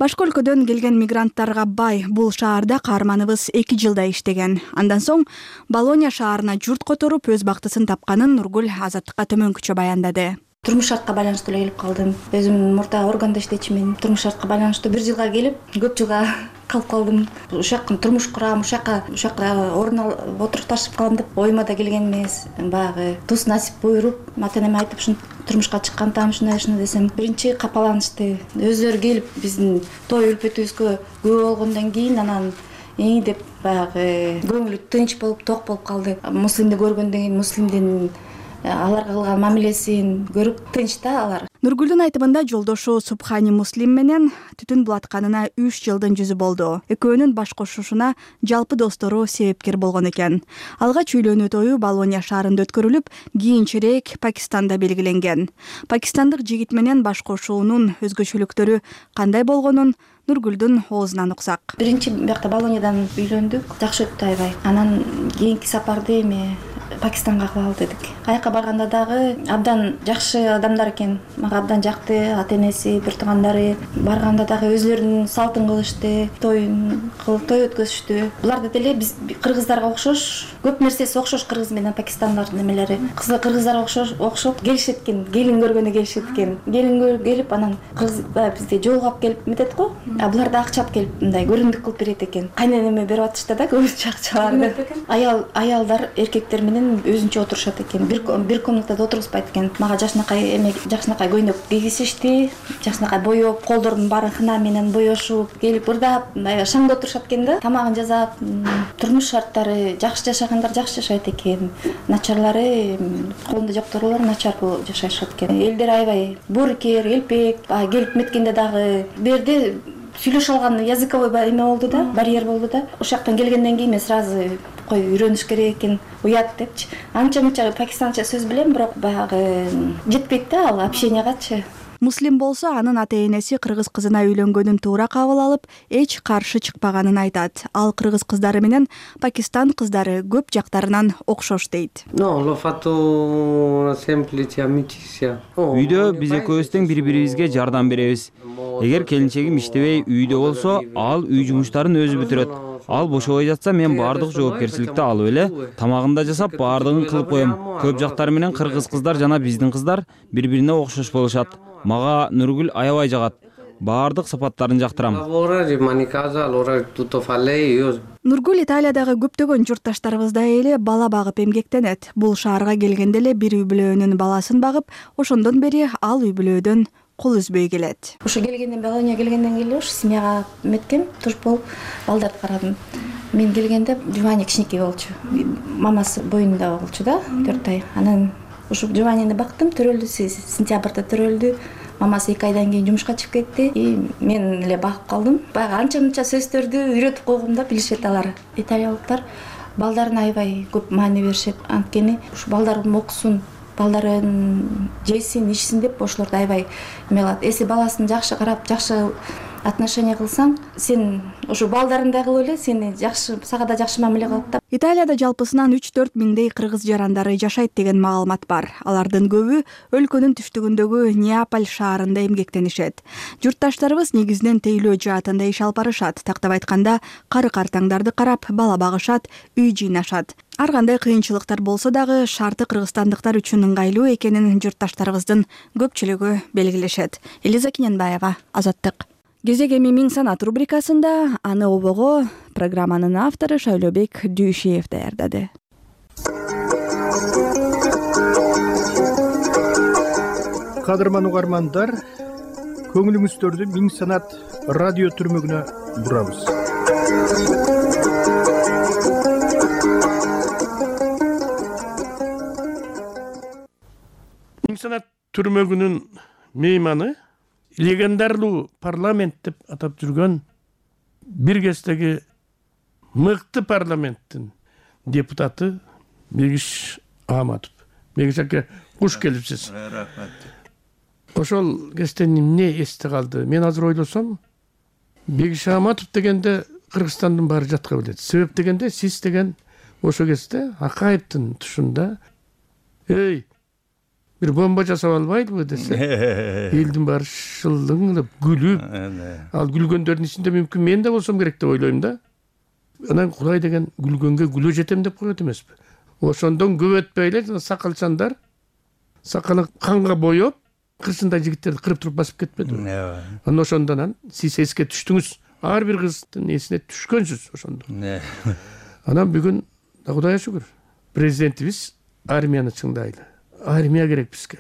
Башка өлкөдөн келген мигранттарга бай бул шаарда каарманыбыз эки жылдай иштеген. Андан соң Болонья шаарына журт которуп өз бактысын тапканын Нургүл Азаттыкка төмөнкүчө баяндады. Турмуш шартка байланыштуу эле келип калдым. Өзүм мурда органда иштечимин. Турмуш шартка байланыштуу бир жылга келип, көп жылга калып калдым. Ушул жакка турмуш курам, ушул жакка ушул жакка орун алып отурукташып калам деп оюма да келген эмес. Баягы тус насип буйруп, ата-энеме айтып ушун турмушка чыккан таам ушундай ушундай десем, биринчи капаланышты. Өздөрү келип биздин той үлпөтүбүзгө күбө болгондон кийин анан и деп баягы көңүлү тынч болуп, ток болуп калды. Муслимди көргөндөн кийин муслимдин аларга кылган мамилесин көрүп тынч да алар. Нургүлдүн айтымында жолдошу Субхани Муслим менен түтүн булатканына үч жылдын жүзү болду. Экөөнүн баш кошушуна жалпы достору себепкер болгон экен. Алгач үйлөнүү тою Болонья шаарында өткөрүлүп, кийинчерээк Пакистанда белгиленген. Пакистандык жигит менен баш кошуунун өзгөчөлүктөрү кандай болгонун Нургүлдүн оозунан уксак. Биринчи биякта Болоньядан үйлөндүк, жакшы өттү аябай. Анан кийинки сапарды эми Пакистанга кылалы дедик. Каяка барганда дагы абдан жакшы адамдар экен. Мага абдан жакты, ата-энеси, бир туугандары. Барганда дагы өзлөрүнүн салтын кылышты, тоюн кылып той өткөзүштү. Булар да деле биз кыргыздарга окшош, көп нерсеси окшош кыргыз менен пакистандардын немелери. Кыргыздарга окшош, окшоп келишет экен, келин көргөнү келишет экен. Келин келип анан кыргыз бизди жолугап келип метет го. А булар да акчап келип мындай көрүндүк кылып берет экен. Кайненеме берип атышты да көбүнчө акчаларды. Аял аялдар эркектер менен өзүнчө отурушат экен. Бир бир комнатада отургузбайт экен. Мага жакшынакай эме жакшынакай көйнөк кийгизишти, жакшынакай боеп, колдордун баарын хына менен боешуп, келип ырдап, шаңда отурушат экен да. Тамагын жасап, турмуш шарттары жакшы жашагандар жакшы жашайт экен. Начарлары, колунда жокторлор начар жашашат экен. Элдер аябай боорукер, элпек, келип меткенде дагы берди сүйлөшө алган языковой эме болду да, барьер болду да. Ошол жактан келгенден кийин мен сразу кой үйрөнүш керек экен, уят депчи. Анча-мынча пакистанча сөз билем, бирок баягы жетпейт да ал общениягачы. Муслим болсо анын ата-энеси кыргыз кызына үйлөнгөнүн туура кабыл алып, эч каршы чыкпаганын айтат. Ал кыргыз кыздары менен Пакистан кыздары көп жактарынан окшош дейт. Үйдө биз экөөбүз тең бири-бирибизге жардам беребиз. Эгер келинчегим иштебей үйдө болсо, ал үй жумуштарын өзү бүтүрөт. Ал бошобой жатса, мен баардык жоопкерчиликти алып эле тамагын да жасап, баардыгын кылып коем. Көп жактар менен кыргыз кыздар жана биздин кыздар бири-бирине окшош болушат. Мага Нургүл аябай жагат. Баардык сапаттарын жактырам. Нургүл Италиядагы көптөгөн журтташтарыбыздай эле бала багып эмгектенет. Бул шаарга келгенде эле бир үй бүлөөнүн баласын багып, ошондон бери ал үй бүлөөдөн кол үзбөй келет. Ошо келгенден Болонья келгенден кийин ушу семьяга меткем, туш болуп балдарды карадым. Мен келгенде Жувани кичинекей болчу. Мамасы боюнда болчу да, төрт ай. Анан ушу Жуванини бактым, төрөлдү, сентябрда төрөлдү. Мамасы эки айдан кийин жумушка чыгып кетти. И мен эле багып калдым. Баягы анча-мынча сөздөрдү үйрөтүп койгом да, билишет алар. Италиялыктар балдарына аябай көп маани беришет. Анткени ушу балдарын окусун, балдарын жесин, ичсин деп ошолорду аябай эме кылат. Эси баласын жакшы карап, жакшы отношение кылсаң, сен ушу балдарыңдай кылып эле сени жакшы, сага да жакшы мамиле кылат да. Италияда жалпысынан үч төрт миңдей кыргыз жарандары жашайт деген маалымат бар. Алардын көбү өлкөнүн түштүгүндөгү Неаполь шаарында эмгектенишет. Журтташтарыбыз негизинен тейлөө жаатында иш алып барышат. Тактап айтканда, кары-картаңдарды карап, бала багышат, үй жыйнашат. Ар кандай кыйынчылыктар болсо дагы шарты кыргызстандыктар үчүн ыңгайлуу экенин журтташтарыбыздын көпчүлүгү белгилешет. Элиза Киненбаева, Азаттык. Кезек эми Миң санат рубрикасында аны обого программанын автору Шайлообек Дүйшиев даярдады. Кадырман угармандар, көңүлүңүздөрдү Миң санат радио түрмөгүнө бурабыз. Миң санат түрмөгүнүн мейманы легендарлуу парламент деп атап жүргөн бир кездеги мыкты парламенттин депутаты Мегиш Аматов. Мегиш аке, куш келипсиз. Рахмат. Ошол кезде эмне эсте калды? Мен азыр ойлосом, Мегиш Аматов дегенде Кыргызстандын баары жатка билет. Себеп дегенде сиз деген ошол кезде Акаевдин тушунда, эй, бир бомба жасап албайдыбы десе, элдин баары шылдыңдап күлүп, ал күлгөндөрдүн ичинде мүмкүн мен да болсом керек деп ойлойм да. Анан Кудай деген күлгөнгө күлө жетем деп коет эмеспи? Ошондон көп өтпөй эле жана сакалчандар сакалын канга боеп, кырсындай жигиттерди кырып туруп басып кетпедиби? Анан ошондон сиз эске түштүңүз. Ар бир кыздын эсине түшкөнсүз ошондо. Анан бүгүн Кудайга шүгүр, президентибиз армияны чыңдайлы. Армия керек бизге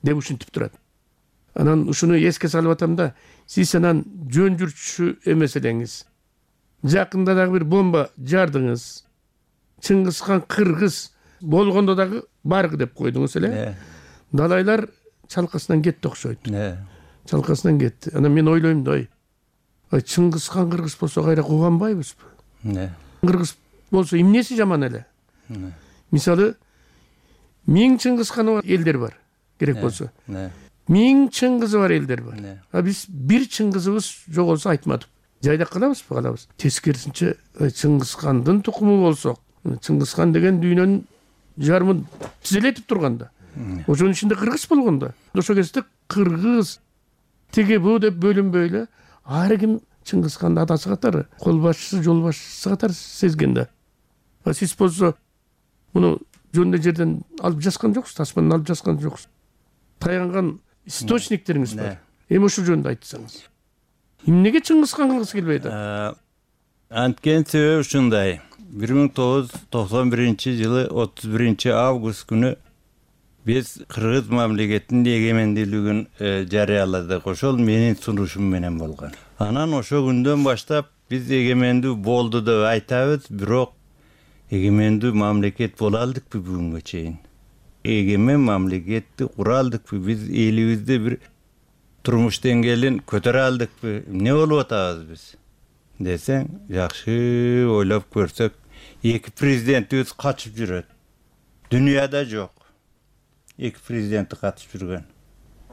деп ушинтип турат. Анан ушуну эске салып атам да, сиз анан жөн жүрчү эмес элеңиз. Жакында дагы бир бомба жардыңыз. Чыңгызхан кыргыз болгондо дагы баргы деп койдуңуз эле. Далайлар чалкасынан кетти окшойт. Чалкасынан кетти. Анан мен ойлойм да, ой, Чыңгызхан кыргыз болсо кайра кубанбайбызбы? Кыргыз болсо эмнеси жаман эле? Мисалы, миң Чыңгызханы элдер бар, керек болсо. Миң Чыңгызы бар элдер бар. А биз бир Чыңгызыбыз жоголсо айтмадык. Жайдак калабызбы, калабыз. Тескерисинче Чыңгызхандын тукуму болсок, Чыңгызхан деген дүйнөнүн жарымын тизелетип турганда, ошонун ичинде кыргыз болгондо, ошол кезде кыргыз тиги бу деп бөлүнбөй эле ар ким Чыңгызханды атасы катары, кол башчысы, жол башчысы катары сезген да. Сиз болсо муну жөндөй жерден алып жазган жоксуз, тасмадан алып жазган жоксуз. Таянган источниктериңиз бар. Эми ушул жөнүндө айтсаңыз. Эмнеге Чыңгызхан кылгысы келбейт? Анткени себеби ушундай. бир миң тогуз жүз токсон биринчи жылы отуз биринчи август күнү биз кыргыз мамлекетинин эгемендүүлүгүн жарыяладык. Ошол менин сунушум менен болгон. Анан ошол күндөн баштап биз эгемендүү болду деп айтабыз, бирок эгемендүү мамлекет боло алдыкпы бүгүнгө чейин? Эгемен мамлекетти кура алдыкпы? Биз элибизде бир турмуш деңгээлин көтөрө алдыкпы? Эмне болуп атабыз биз? Десең, жакшы ойлоп көрсөк, эки президентибиз качып жүрөт. Дүйнөдө жок. Эки президенти катышып жүргөн.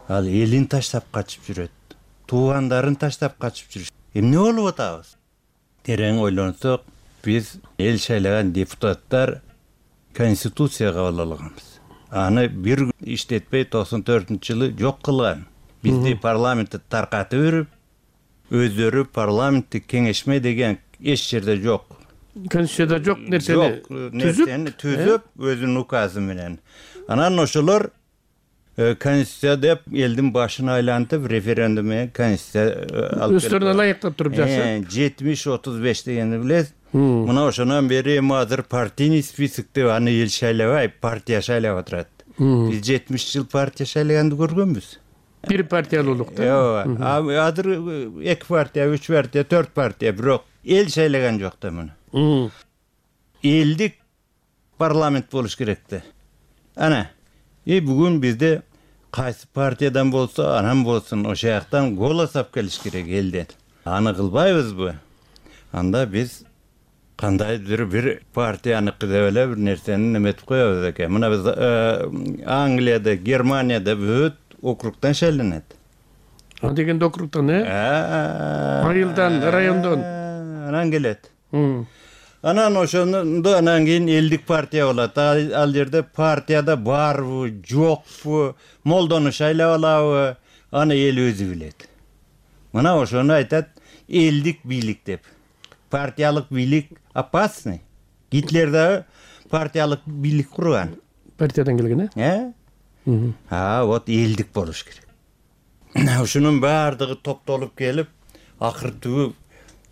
Ал элин таштап качып жүрөт. Туугандарын таштап качып жүрөт. Эмне болуп атабыз? Терең ойлонсок, биз эл шайлаган депутаттар конституция кабыл алганбыз. Аны бир иштетпей токсон төртүнчү жылы жок кылган. Бизди парламентти таркатып берип, өздөрү парламентти кеңешме деген эч жерде жок. Конституцияда жок нерсени түзүп, түзүп өзүнүн указы менен. Анан ошолор конституция деп элдин башын айлантып референдум менен конституция алып келди. Өздөрүнө ылайыктап туруп жашап. жетимиш отуз беш дегенди билесиз. Мына ошонан бери эми азыр партийный список деп аны эл шайлабай, партия шайлап отурат. Биз жетимиш жыл партия шайлаганды көргөнбүз. Бир партиялуулук да. Ооба. Азыр эки партия, үч партия, төрт партия, бирок эл шайлаган жок да муну. Элдик парламент болуш керек да. Ана, и бүгүн бизде кайсы партиядан болсо, анан болсун, ошол жактан голос алып келиш керек элден. Аны кылбайбызбы? Анда биз кандайдыр бир партияныкы деп эле бир нерсени неметип коебуз экен. Мына биз Англияда, Германияда бүт округтан шайланат. А дегенде округтан, э? Айылдан, райондон. Анан келет. Анан ошондо анан кийин элдик партия болот. Ал жерде партияда барбы, жокпу, молдону шайлап алабы, аны эл өзү билет. Мына ошону айтат элдик бийлик деп. Партиялык бийлик опасный. Гитлер да партиялык бийлик курган. Партиядан келген, э? Э? А, вот элдик болуш керек. Ушунун баардыгы топтолуп келип, акыртуу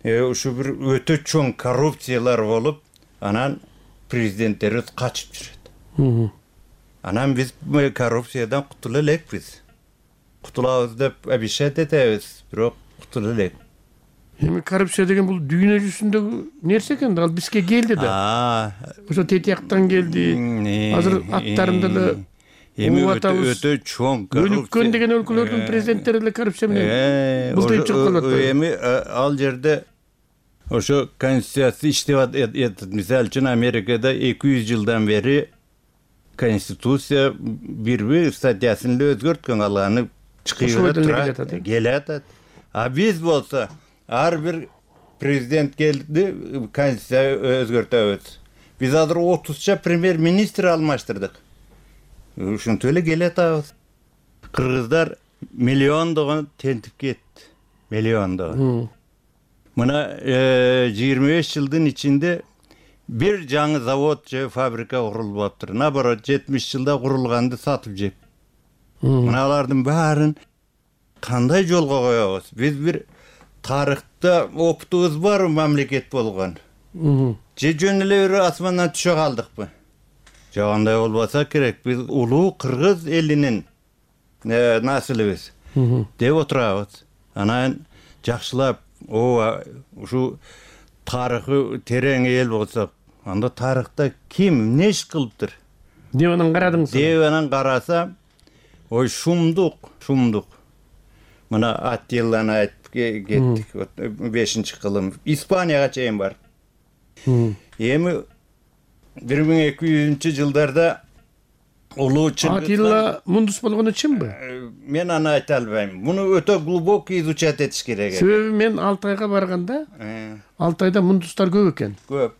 ушу бир өтө чоң коррупциялар болуп, анан президенттерибиз качып жүрөт. Анан биз коррупциядан кутула элекпиз. Кутулабыз деп обещать этебиз, бирок кутула элек. Эми коррупция деген бул дүйнө жүзүндөгү нерсе экен, ал бизге келди да. Ошо тетияктан келди. Азыр аттарында эле эми өтө чоң коррупция. Өлүккөн деген өлкөлөрдүн президенттери эле коррупция менен былтырып чыгып калат. Эми ал жерде ошо конституция иштеп атат. Мисалы үчүн Америкада эки жүз жылдан бери конституция бир-бир статьясын эле өзгөрткөн, алганы чыгып турат, келатат. А биз болсо ар бир президент келди, конституция өзгөртөбүз. Биз азыр отузча премьер-министр алмаштырдык. ушинтип эле келатабыз. Кыргыздар миллиондогон тентип кетти. Миллиондогон. Мына жыйырма беш жылдын ичинде бир жаңы завод же фабрика курулбаптыр. Наоборот, жетимиш жылда курулганды сатып жеп. Мына алардын баарын кандай жолго коебуз? Биз бир тарыхта опытыбыз бар мамлекет болгон. Же жөн эле бир асмандан түшө калдыкпы? Жок, андай болбаса керек. Биз улуу кыргыз элинин насылыбыз деп отурабыз. Анан жакшылап, ооба, ушу тарыхы терең эл болсок, анда тарыхта ким эмне иш кылыптыр деп анан карадыңыз? Деп анан караса, ой шумдук, шумдук. Мына Аттиланы айтып кеттик, бешинчи кылым. Испанияга чейин бар. Эми бир миң эки жүзүнчү жылдарда улуу Чыңгыз Аттила мундус болгону чынбы? Мен аны айта албайм. Муну өтө глубокий изучать этиш керек. Себеби мен Алтайга барганда, Алтайда мундустар көп экен. Көп.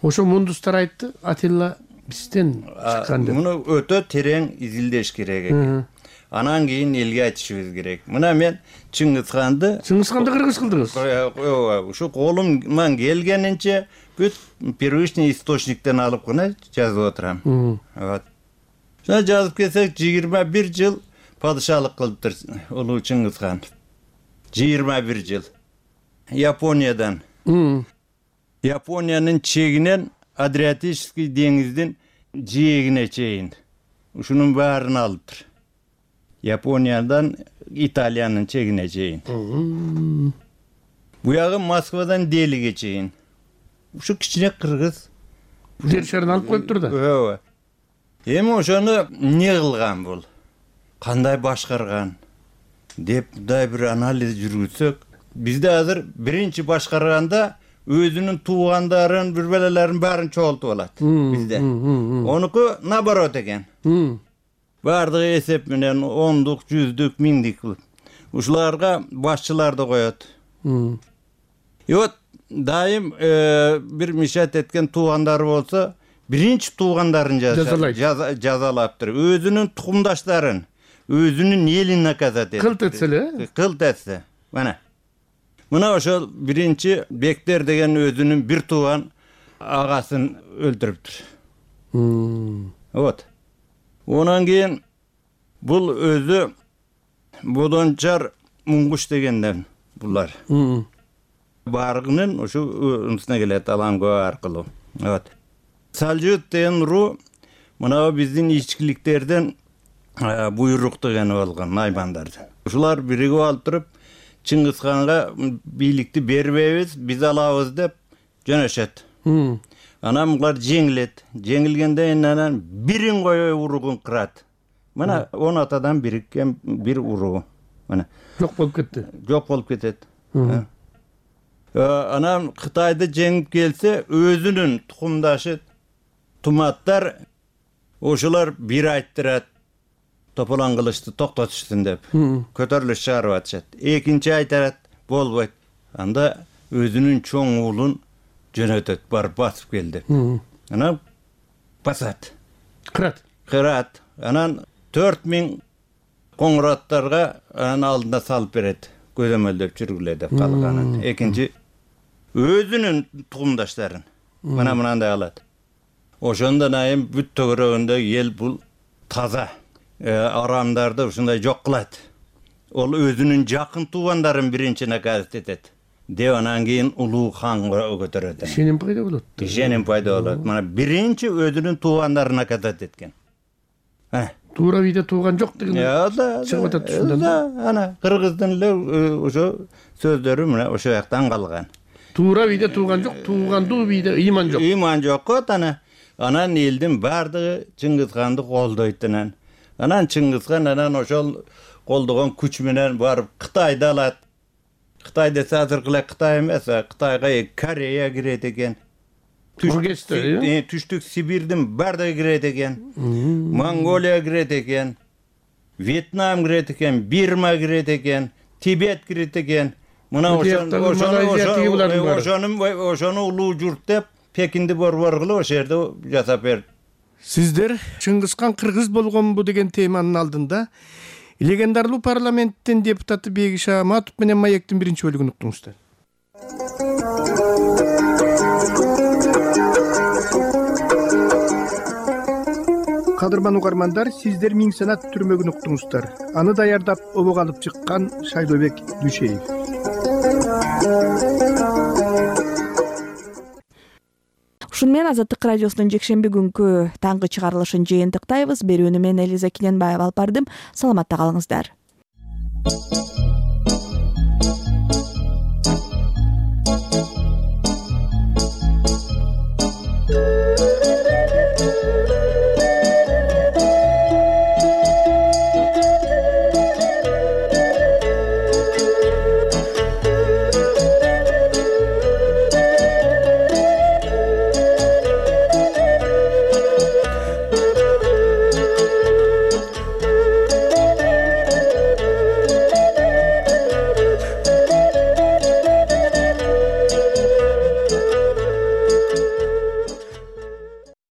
Ошо мундустар айтты, Аттила бизден чыккан деп. Муну өтө терең изилдеш керек экен. Анан кийин элге айтышыбыз керек. Мына мен Чыңгызханды Чыңгызханды кыргыз кылдыңыз. Ооба, ушу колумдан келгенинче бүт первичный источниктен алып гана жазып отурам. Вот. Шуна жазып келсек, жыйырма бир жыл падышалык кылыптыр улуу Чыңгызхан. жыйырма бир жыл. Япониядан. Япониянын чегинен Адриатический деңиздин жээгине чейин. Ушунун баарын алыптыр. Япониядан Италиянын чегине чейин. Буягы Москвадан Делиге чейин. Ушу кичине кыргыз. Жер шарын алып коюптур да. Ооба. Эми ошону эмне кылган бул? Кандай башкарган? Деп да бир анализ жүргүзсөк, бизде азыр биринчи башкарганда өзүнүн туугандарын, бүрбөлөлөрүн баарын чогултуп алат бизде. Онуку наоборот экен. Бардыгы эсеп менен ондук, жүздүк, миңдик. Ушуларга башчыларды коет. И вот дайым бир мишат эткен туугандары болсо, биринчи туугандарын жазалаптыр. Өзүнүн тукумдаштарын, өзүнүн элин наказать этет. Кылт этсе эле? Кылт этсе. Мына. Мына ошол биринчи Бектер деген өзүнүн бир тууган агасын өлтүрүптүр. Вот. Онан кийин бул өзү Бодончар Муңгуш дегенден булар. Баргынын ушу унусуна келет Аланго аркылуу. Вот. Салжут деген ру мына биздин ичкиликтерден буйрук деген болгон наймандардан. Ушулар биригип алып туруп Чыңгызханга бийликти бербейбиз, биз алабыз деп жөнөшөт. Анан булар жеңилет. Жеңилгенден анан бирин кое уругун кырат. Мына он атадан бириккен бир уруу. Мына жок болуп кетти. Жок болуп кетет. Анан Кытайды жеңип келсе, өзүнүн тукумдашы туматтар ошолар бир айттырат. Тополон кылычты токтотушсун деп. Көтөрүлүш чыгарып атышат. Экинчи айтарат, болбойт. Анда өзүнүн чоң уулун жөнөтөт, барып басып кел деп. Анан басат. Кырат. Кырат. Анан төрт миң коңураттарга анын алдына салып берет. Көзөмөлдөп жүргүлө деп калганын. Экинчи өзүнүн тукумдаштарын. Мына мынандай алат. Ошондон айым бүт төгөрөгүндө эл бул таза. Арамдарды ушундай жок кылат. Ол өзүнүн жакын туугандарын биринчи наказать этет. Деп анан кийин улуу ханга көтөрөт. Ишеним пайда болот. Ишеним пайда болот. Мына биринчи өзүнүн туугандарын наказать эткен. Туура виде тууган жок деген чыгып атат ушундан. Ана кыргыздын эле ошо сөздөрү мына ошо жактан калган. Туура виде тууган жок, туугандуу виде ыйман жок. Ыйман жок го ана. Анан элдин бардыгы Чыңгызханды колдойт анан. Анан Чыңгызхан анан ошол колдогон күч менен барып Кытайды алат. Кытай десе азыркы эле Кытай эмес, Кытайга Корея кирет экен. Түштүк Сибирдин бардыгы кирет экен. Монголия кирет экен. Вьетнам кирет экен, Бирма кирет экен, Тибет кирет экен. Мына ошону ошону улуу журт деп Пекинди борбор кылып ошол жерде жасап берди. Сиздер Чыңгызхан кыргыз болгонбу деген теманын алдында легендарлуу парламенттин депутаты Бегиш Аматов менен Маектин биринчи бөлүгүн уктуңуздар. Кадырман угармандар, сиздер Миң санат түрмөгүн уктуңуздар. Аны даярдап обок алып чыккан Шайлообек Дүшеев. Ушуну менен Азаттык радиосунун жекшемби күнкү таңкы чыгарылышын жыйынтыктайбыз. Берүүнү мен Элиза Киненбаева алып бардым. Саламатта калыңыздар.